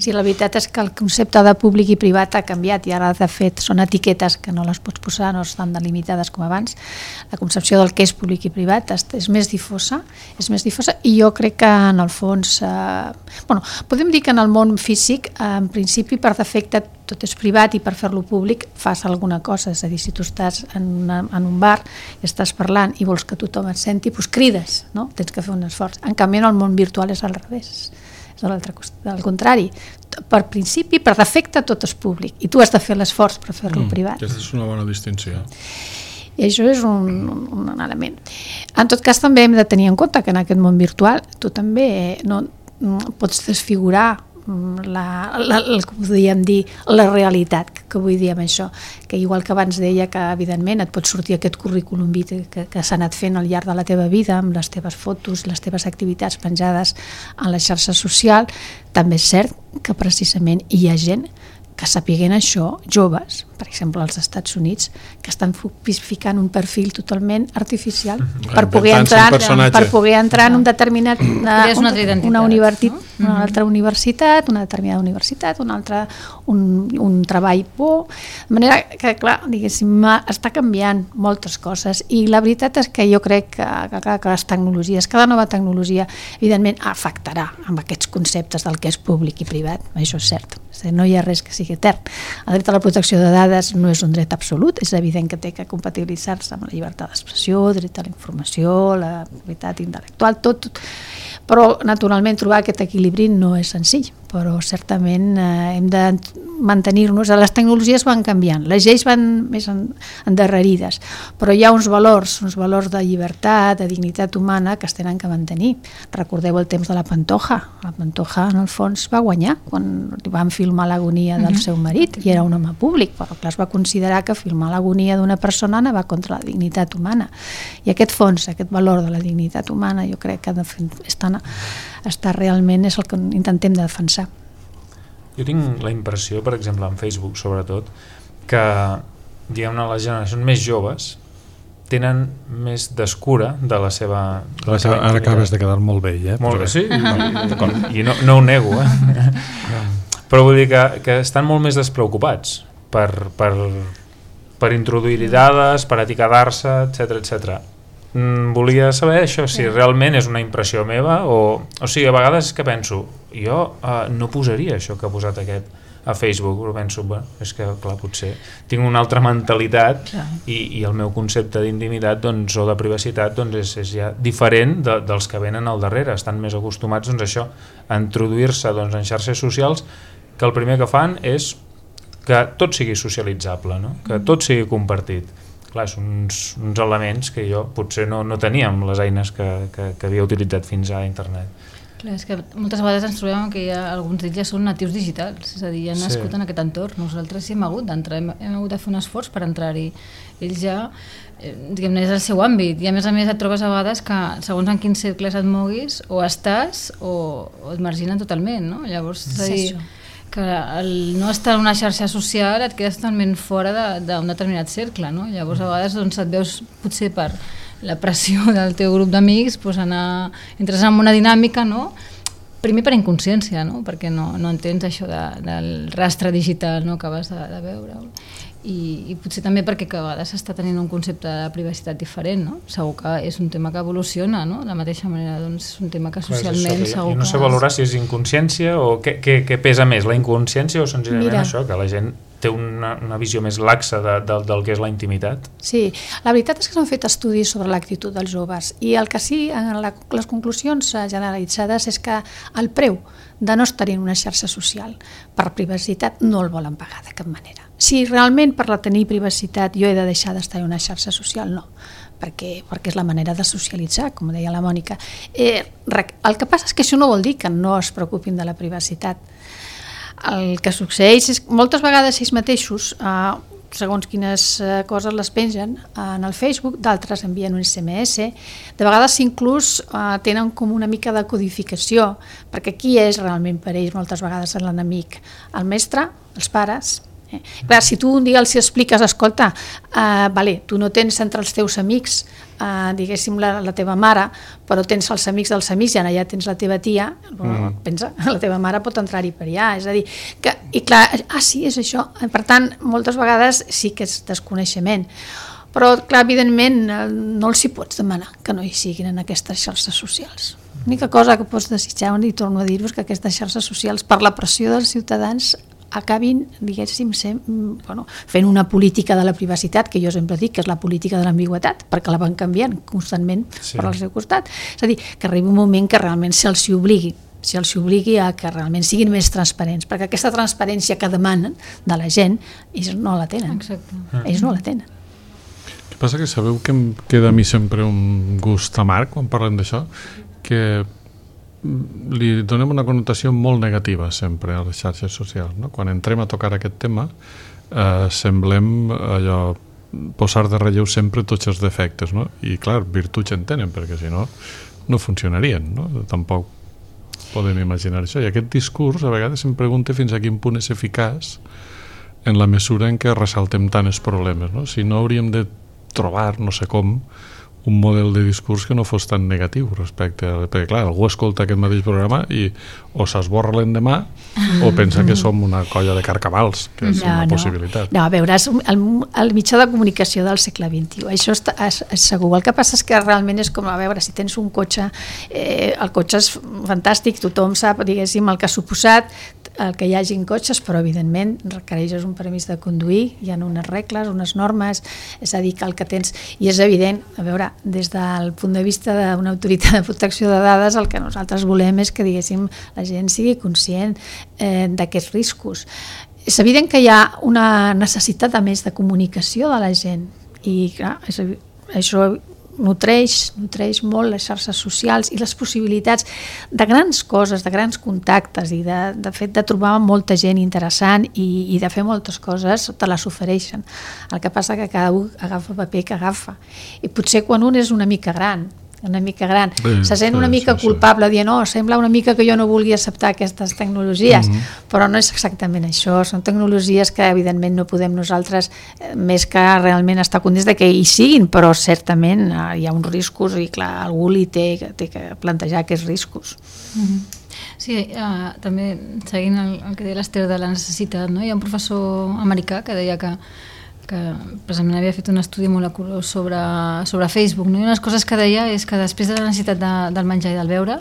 Sí, la veritat és que el concepte de públic i privat ha canviat i ara de fet són etiquetes que no les pots posar, no estan delimitades com abans. La concepció del que és públic i privat és més difosa, és més difosa i jo crec que en el fons, eh, bueno, podem dir que en el món físic, eh, en principi per defecte tot és privat i per fer-lo públic fas alguna cosa, és a dir, si tu estàs en, una, en un bar i estàs parlant i vols que tothom et senti, doncs crides, no? Tens que fer un esforç. En canvi, en el món virtual és al revés, és a l'altre costat, al contrari. Per principi, per defecte, tot és públic i tu has de fer l'esforç per fer-lo mm, privat. Aquesta és una bona distinció. I això és un, un, un element. En tot cas, també hem de tenir en compte que en aquest món virtual tu també no, pots desfigurar La, la, la, com podríem dir, la realitat, que, que vull dir amb això, que igual que abans deia que evidentment et pot sortir aquest currículum vitae que, que s'ha anat fent al llarg de la teva vida amb les teves fotos, les teves activitats penjades en la xarxa social, també és cert que precisament hi ha gent que sapiguen això, joves, per exemple als Estats Units, que estan ficant un perfil totalment artificial per poder entrar, per poder entrar en un determinat una, una, una, universitat, no? Una altra universitat, una determinada universitat, una altra, un, un treball bo, de manera que, clar, diguéssim, està canviant moltes coses i la veritat és que jo crec que, que, que les tecnologies, cada nova tecnologia, evidentment afectarà amb aquests conceptes del que és públic i privat, això és cert, no hi ha res que sigui etern. El dret a la protecció de dades vegades no és un dret absolut, és evident que té que compatibilitzar-se amb la llibertat d'expressió, dret a la informació, la propietat intel·lectual, tot, tot. Però naturalment trobar aquest equilibri no és senzill, però certament eh, hem de mantenir-nos. Les tecnologies van canviant, les lleis van més endarrerides, però hi ha uns valors, uns valors de llibertat, de dignitat humana que es tenen que mantenir. Recordeu el temps de la Pantoja. La Pantoja, en el fons, va guanyar quan van filmar l'agonia del seu marit i era un home públic, però clar, es va considerar que filmar l'agonia d'una persona anava contra la dignitat humana. I aquest fons, aquest valor de la dignitat humana, jo crec que està, està realment és el que intentem de defensar. Jo tinc la impressió, per exemple, en Facebook sobretot, que diguem-ne les generacions més joves tenen més descura de la seva... De la seva ara acabes de quedar molt vell, eh? Molt bé, sí, i no, no ho nego, eh? Però vull dir que, que estan molt més despreocupats per, per, per introduir dades, per etiquetar-se, etcètera, etcètera. Mm, volia saber això, si realment és una impressió meva o... O sigui, a vegades és que penso, jo uh, no posaria això que ha posat aquest a Facebook, però penso, bueno, és que clar, potser tinc una altra mentalitat i, i el meu concepte d'intimitat doncs, o de privacitat doncs, és, és ja diferent de, dels que venen al darrere, estan més acostumats doncs, a això, a introduir-se doncs, en xarxes socials, que el primer que fan és que tot sigui socialitzable, no? Que tot sigui compartit. Clar, són uns, uns elements que jo potser no, no tenia amb les eines que, que, que havia utilitzat fins a internet. Clar, és que moltes vegades ens trobem que hi ha, alguns d'ells ja són natius digitals, és a dir, han nascut sí. en aquest entorn. Nosaltres hi hem hagut d'entrar, hem, hem hagut de fer un esforç per entrar-hi. Ells ja, eh, diguem-ne, és el seu àmbit, i a més a més et trobes a vegades que segons en quins cercles et moguis, o estàs o, o et marginen totalment, no? Llavors, és a dir, que el no estar en una xarxa social et quedes totalment fora d'un de, determinat cercle, no? Llavors a vegades doncs, et veus potser per la pressió del teu grup d'amics doncs, anar, entres en una dinàmica, no? Primer per inconsciència, no? Perquè no, no entens això de, del rastre digital, no? Que acabes de, de veure. I, i potser també perquè a vegades s'està tenint un concepte de privacitat diferent, no? Segur que és un tema que evoluciona, no? De la mateixa manera, doncs, és un tema que socialment això, segur que... No sé que... valorar si és inconsciència o què, què, què pesa més, la inconsciència o senzillament Mira. Això, que la gent té una, una visió més laxa de, de, del que és la intimitat? Sí, la veritat és que s'han fet estudis sobre l'actitud dels joves i el que sí, en la, les conclusions generalitzades és que el preu de no estar en una xarxa social per privacitat no el volen pagar de cap manera. Si realment per la tenir privacitat jo he de deixar d'estar en una xarxa social, no, perquè, perquè és la manera de socialitzar, com deia la Mònica. Eh, el que passa és que això no vol dir que no es preocupin de la privacitat. El que succeeix és que moltes vegades ells mateixos, eh, segons quines coses les pengen en el Facebook, d'altres envien un esse eme esse, de vegades inclús eh, tenen com una mica de codificació, perquè qui és realment per ells moltes vegades l'enemic? El mestre, els pares. Eh? Clar, si tu un dia els expliques, escolta, eh, vale, tu no tens entre els teus amics eh, diguéssim la, la teva mare, però tens els amics dels amics i allà tens la teva tia, mm. pensa, la teva mare pot entrar-hi per allà, és a dir, que, i clar, ah sí, és això, per tant, moltes vegades sí que és desconeixement, però clar, evidentment no els hi pots demanar que no hi siguin en aquestes xarxes socials. L'única cosa que pots desitjar, i torno a dir-vos, que aquestes xarxes socials, per la pressió dels ciutadans, acabin, diguéssim, ser, bueno, fent una política de la privacitat, que jo sempre dic que és la política de l'ambigüetat, perquè la van canviant constantment sí. per al seu costat. És a dir, que arribi un moment que realment se'ls hi obligui, se'ls hi obligui a que realment siguin més transparents, perquè aquesta transparència que demanen de la gent, ells no la tenen. Exacte. Ells no la tenen. El que passa que sabeu que em queda a mi sempre un gust amarg quan parlem d'això, que li donem una connotació molt negativa sempre a les xarxes socials, no? Quan entrem a tocar aquest tema eh, semblem allò posar de relleu sempre tots els defectes, no? I clar, virtuts en tenen, perquè si no no funcionarien, no? Tampoc podem imaginar això, i aquest discurs a vegades em pregunta fins a quin punt és eficaç en la mesura en què ressaltem tant els problemes, no? Si no hauríem de trobar, no sé com, un model de discurs que no fos tan negatiu respecte a... Perquè, clar, algú escolta aquest mateix programa i o s'esborra l'endemà o pensa que som una colla de carcavals, que és no, una possibilitat. No, no, a veure, és el, el mitjà de comunicació del segle vint-i-u, això està, és, és segur. El que passa és que realment és com, a veure, si tens un cotxe, eh, el cotxe és fantàstic, tothom sap, diguéssim, el que ha suposat, el que hi hagin cotxes, però evidentment requereixes un permís de conduir, hi ha unes regles, unes normes, és a dir, que el que tens, i és evident, a veure, des del punt de vista d'una autoritat de protecció de dades, el que nosaltres volem és que, diguéssim, la gent sigui conscient eh, d'aquests riscos. És evident que hi ha una necessitat a més de comunicació de la gent, i clar, és, això nutreix, nutreix molt les xarxes socials i les possibilitats de grans coses, de grans contactes i de, de fet de trobar molta gent interessant i, i de fer moltes coses, te les ofereixen. El que passa que cada un agafa el paper que agafa. I potser quan un és una mica gran, una mica gran, sí, se sent una mica sí, culpable sí. dient, no, sembla una mica que jo no vulgui acceptar aquestes tecnologies, mm-hmm. però no és exactament això, són tecnologies que evidentment no podem nosaltres, eh, més que realment estar contents de que hi siguin, però certament eh, hi ha uns riscos i clar, algú li té, té que plantejar aquests riscos. Mm-hmm. Sí, uh, també seguint el, el que deia l'Ester de la necessitat, no? Hi ha un professor americà que deia que que precisament havia fet un estudi molecular sobre, sobre Facebook, no? I una de les coses que deia és que després de la necessitat de, del menjar i del beure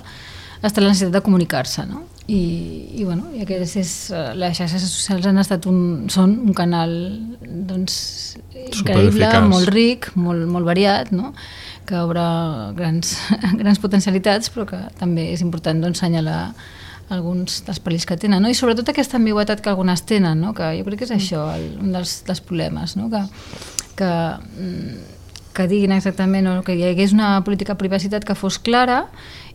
està la necessitat de comunicar-se, no? I, i, bueno, i aquest és, les xarxes socials han estat un, són un canal doncs, increïble, molt ric, molt, molt variat, no? Que obre grans, grans potencialitats, però que també és important doncs, assenyalar alguns dels perills que tenen, no? I sobretot aquesta ambigüitat que algunes tenen, no? Que jo crec que és això el, un dels, dels problemes, no? que, que, que diguin exactament, o que hi hagués una política de privacitat que fos clara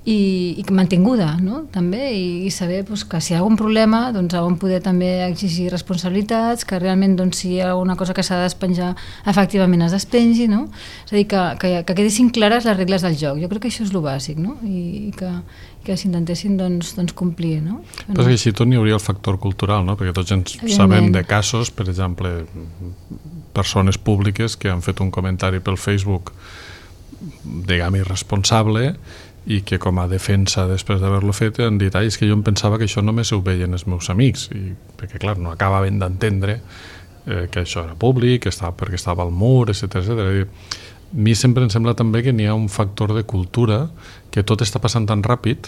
i, i mantinguda, no? També, i, i saber doncs, que si hi ha algun problema doncs, on poder també exigir responsabilitats, que realment doncs, si hi ha alguna cosa que s'ha de despenjar efectivament es despengi, no? És a dir, que, que, que quedessin clares les regles del joc. Jo crec que això és el bàsic, no? I, i que que s'intentessin doncs, doncs complir, no? Però que així tot n'hi hauria el factor cultural, no? Perquè tots ens sabem de casos, per exemple, persones públiques que han fet un comentari pel Facebook, diguem, irresponsable, i que com a defensa després d'haver-lo fet han dit, ai, és que jo em pensava que això només ho veien els meus amics, i perquè clar, no acabaven d'entendre eh, que això era públic, que estava, perquè estava al mur, etcètera, etcètera. A mi sempre em sembla també que n'hi ha un factor de cultura, que tot està passant tan ràpid,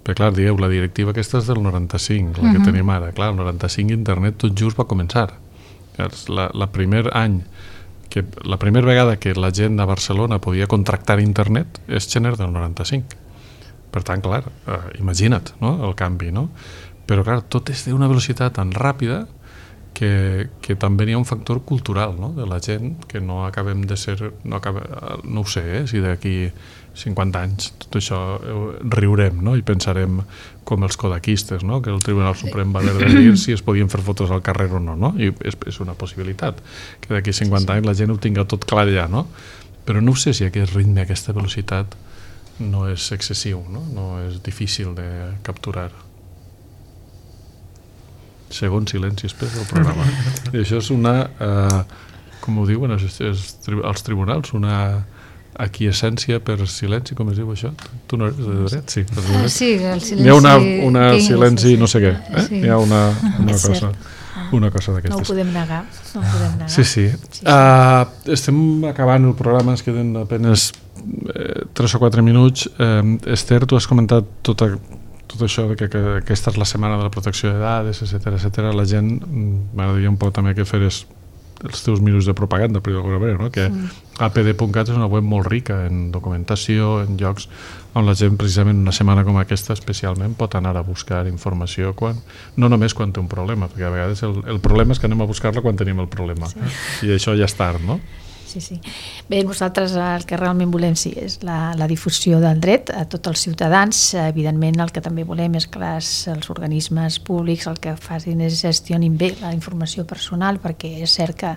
perquè clar, dieu, la directiva aquesta és del noranta-cinc, la uh-huh. que tenim ara, clar, el noranta-cinc internet tot just va començar. La, la primer any, que, la primera vegada que la gent de Barcelona podia contractar internet és gener del noranta-cinc. Per tant, clar, eh, imagina't, no?, el canvi, no? Però clar, tot és d'una velocitat tan ràpida que, que també hi ha un factor cultural, no?, de la gent, que no acabem de ser, no, acabem, no ho sé, eh, si d'aquí cinquanta anys tot això riurem, no?, i pensarem com els kodaquistes, no?, que el Tribunal Suprem va haver de dir si es podien fer fotos al carrer o no, no? I és, és una possibilitat que d'aquí cinquanta anys la gent ho tinga tot clar ja, no? Però no sé si aquest ritme, aquesta velocitat no és excessiu, no? No és difícil de capturar. Segon silenci després del programa. I això és una, eh, com ho diuen els, els tribunals, una aquiescència per silenci, com es diu això? Tu no eres de dret? Sí, de dret. Sí, el silenci... Hi ha una, una silenci no sé què, eh? Sí. Hi ha una, una cosa, una cosa d'aquestes. No ho podem negar, no ho podem negar. Sí, sí. sí, sí. Uh, estem acabant el programa, ens queden apenas eh, tres o quatre minuts. Uh, Ester, tu has comentat tota tot això de que, que aquesta és la setmana de la protecció de dades, etcètera, etcètera. La gent, m'agradaria un poc també que feres els teus minuts de propaganda, per d'alguna manera, no? Que mm. a p d punt cat és una web molt rica en documentació, en llocs on la gent, precisament una setmana com aquesta especialment, pot anar a buscar informació quan, no només quan té un problema, perquè a vegades el, el problema és que anem a buscar-la quan tenim el problema, sí. I això ja és tard, no? Sí, sí. Bé, nosaltres el que realment volem sí, és la, la difusió del dret a tots els ciutadans. Evidentment el que també volem és que les, els organismes públics el que facin és gestionin bé la informació personal, perquè és cert que,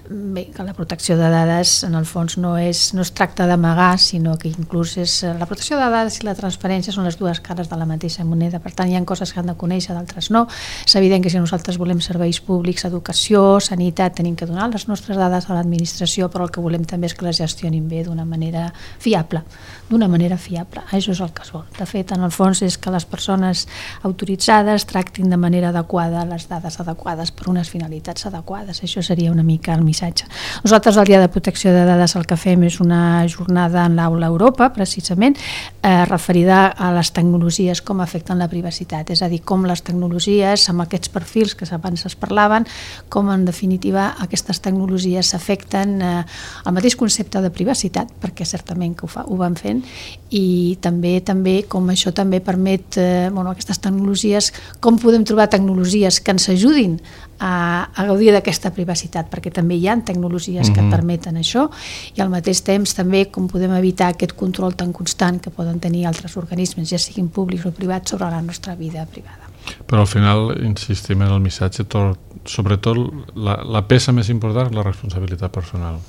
bé, que la protecció de dades en el fons no, és, no es tracta d'amagar, sinó que inclús és, la protecció de dades i la transparència són les dues cares de la mateixa moneda. Per tant, hi ha coses que han de conèixer, d'altres no. És evident que si nosaltres volem serveis públics, educació, sanitat, tenim que donar les nostres dades a l'administració gestió, però el que volem també és que les gestionin bé d'una manera fiable, d'una manera fiable. Això és el que es vol. De fet, en el fons és que les persones autoritzades tractin de manera adequada les dades adequades per unes finalitats adequades. Això seria una mica el missatge. Nosaltres el Dia de Protecció de Dades el que fem és una jornada en l'Aula Europa, precisament, eh, referida a les tecnologies, com afecten la privacitat, és a dir, com les tecnologies, amb aquests perfils que abans es parlaven, com en definitiva aquestes tecnologies s'afecten eh, al mateix concepte de privacitat, perquè certament que ho, fa, ho van fent, i també també com això també permet, eh, bueno, aquestes tecnologies, com podem trobar tecnologies que ens ajudin a, a gaudir d'aquesta privacitat, perquè també hi ha tecnologies que Mm-hmm. permeten això, i al mateix temps també com podem evitar aquest control tan constant que poden tenir altres organismes, ja siguin públics o privats, sobre la nostra vida privada. Però al final insistim en el missatge, tot, sobretot la, la peça més important és la responsabilitat personal.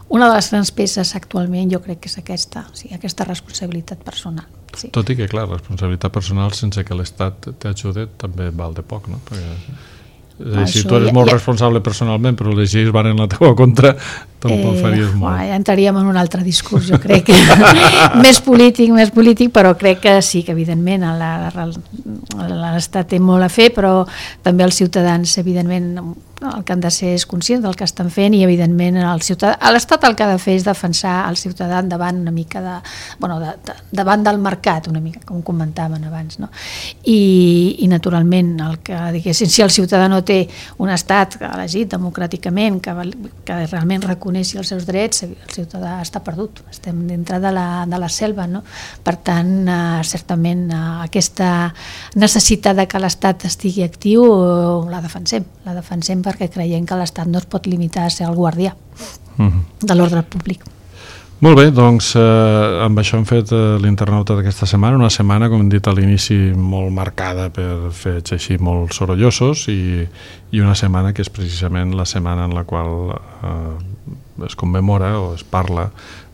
Una de les grans peces actualment jo crec que és aquesta, o sigui, aquesta responsabilitat personal. Sí. Tot i que, clar, la responsabilitat personal sense que l'Estat t'ajude també val de poc, no? Perquè, és a dir, si tu eres molt ja, responsable personalment però les lleis van en la teva contra, tampoc eh, faries molt. Ja entraríem en un altre discurs, jo crec que més polític, més polític, però crec que sí, que evidentment l'Estat té molt a fer, però també els ciutadans, evidentment, el que han de ser és conscients del que estan fent, i evidentment l'Estat el que ha de fer és defensar el ciutadà davant una mica de, bueno, de, de, davant del mercat, una mica, com comentaven abans, no? I, i naturalment el que, diguéssim, si el ciutadà no té un estat elegit democràticament que, que realment reconeixi els seus drets, el ciutadà està perdut, estem dintre de la, de la selva, no? Per tant, eh, certament eh, aquesta necessitat de que l'Estat estigui actiu eh, la defensem, la defensem perquè creiem que l'Estat no es pot limitar a ser el guardià mm-hmm. de l'ordre públic. Molt bé, doncs eh, amb això hem fet eh, l'internauta d'aquesta setmana, una setmana, com hem dit a l'inici, molt marcada per fets així molt sorollosos, i, i una setmana que és precisament la setmana en la qual eh, es commemora o es parla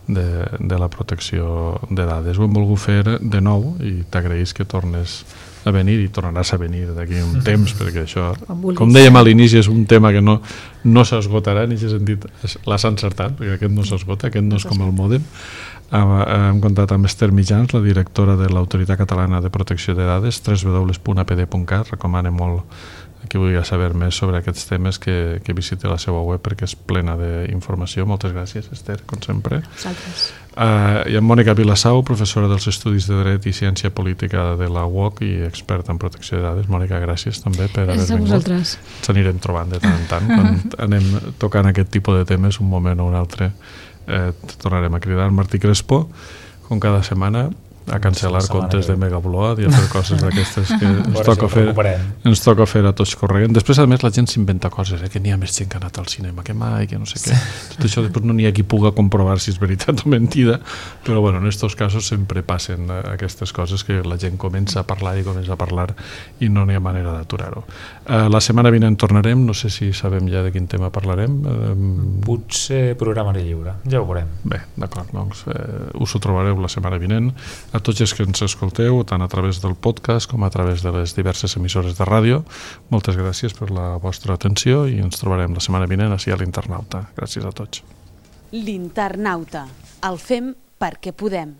de, de la protecció de dades. Ho hem volgut fer de nou i t'agraïs que tornes a venir, i tornaràs a venir d'aquí un temps, perquè això, com dèiem a l'inici, és un tema que no, no s'esgotarà, en aquest sentit l'has encertat, perquè aquest no s'esgota, aquest no és com el mòdem. Hem comptat amb Esther Mitjans, la directora de l'Autoritat Catalana de Protecció de Dades, w w w punt a p d punt cat. Recomano molt qui vulgui saber més sobre aquests temes que, que visiti la seva web, perquè és plena d'informació. Moltes gràcies, Esther, com sempre. Vosaltres. Uh, I amb Mònica Vilassau, professora dels Estudis de Dret i Ciència Política de la U O C i experta en protecció de dades. Mònica, gràcies també per haver vingut. Vosaltres. Ens anirem trobant de tant en tant. Quan anem tocant aquest tipus de temes, un moment o un altre, eh, tornarem a cridar. Martí Crespo, com cada setmana, a cancel·lar comptes de Megabload i a fer coses d'aquestes que ens toca fer ens toca fer a tots corregent. Després, a més, la gent s'inventa coses, eh? Que n'hi ha més gent que ha anat al cinema que mai, que no sé què. Tot això després no n'hi ha qui puga comprovar si és veritat o mentida, però bueno, en aquests casos sempre passen aquestes coses que la gent comença a parlar i comença a parlar i no n'hi ha manera d'aturar-ho. Uh, la setmana vinent tornarem, no sé si sabem ja de quin tema parlarem. Uh, Potser programari lliure, ja ho veurem. Bé, d'acord, doncs eh, us ho trobareu la setmana vinent. A tots els que ens escolteu, tant a través del podcast com a través de les diverses emissores de ràdio, moltes gràcies per la vostra atenció i ens trobarem la setmana vinent ací a l'Internauta. Gràcies a tots. L'Internauta. El fem perquè podem.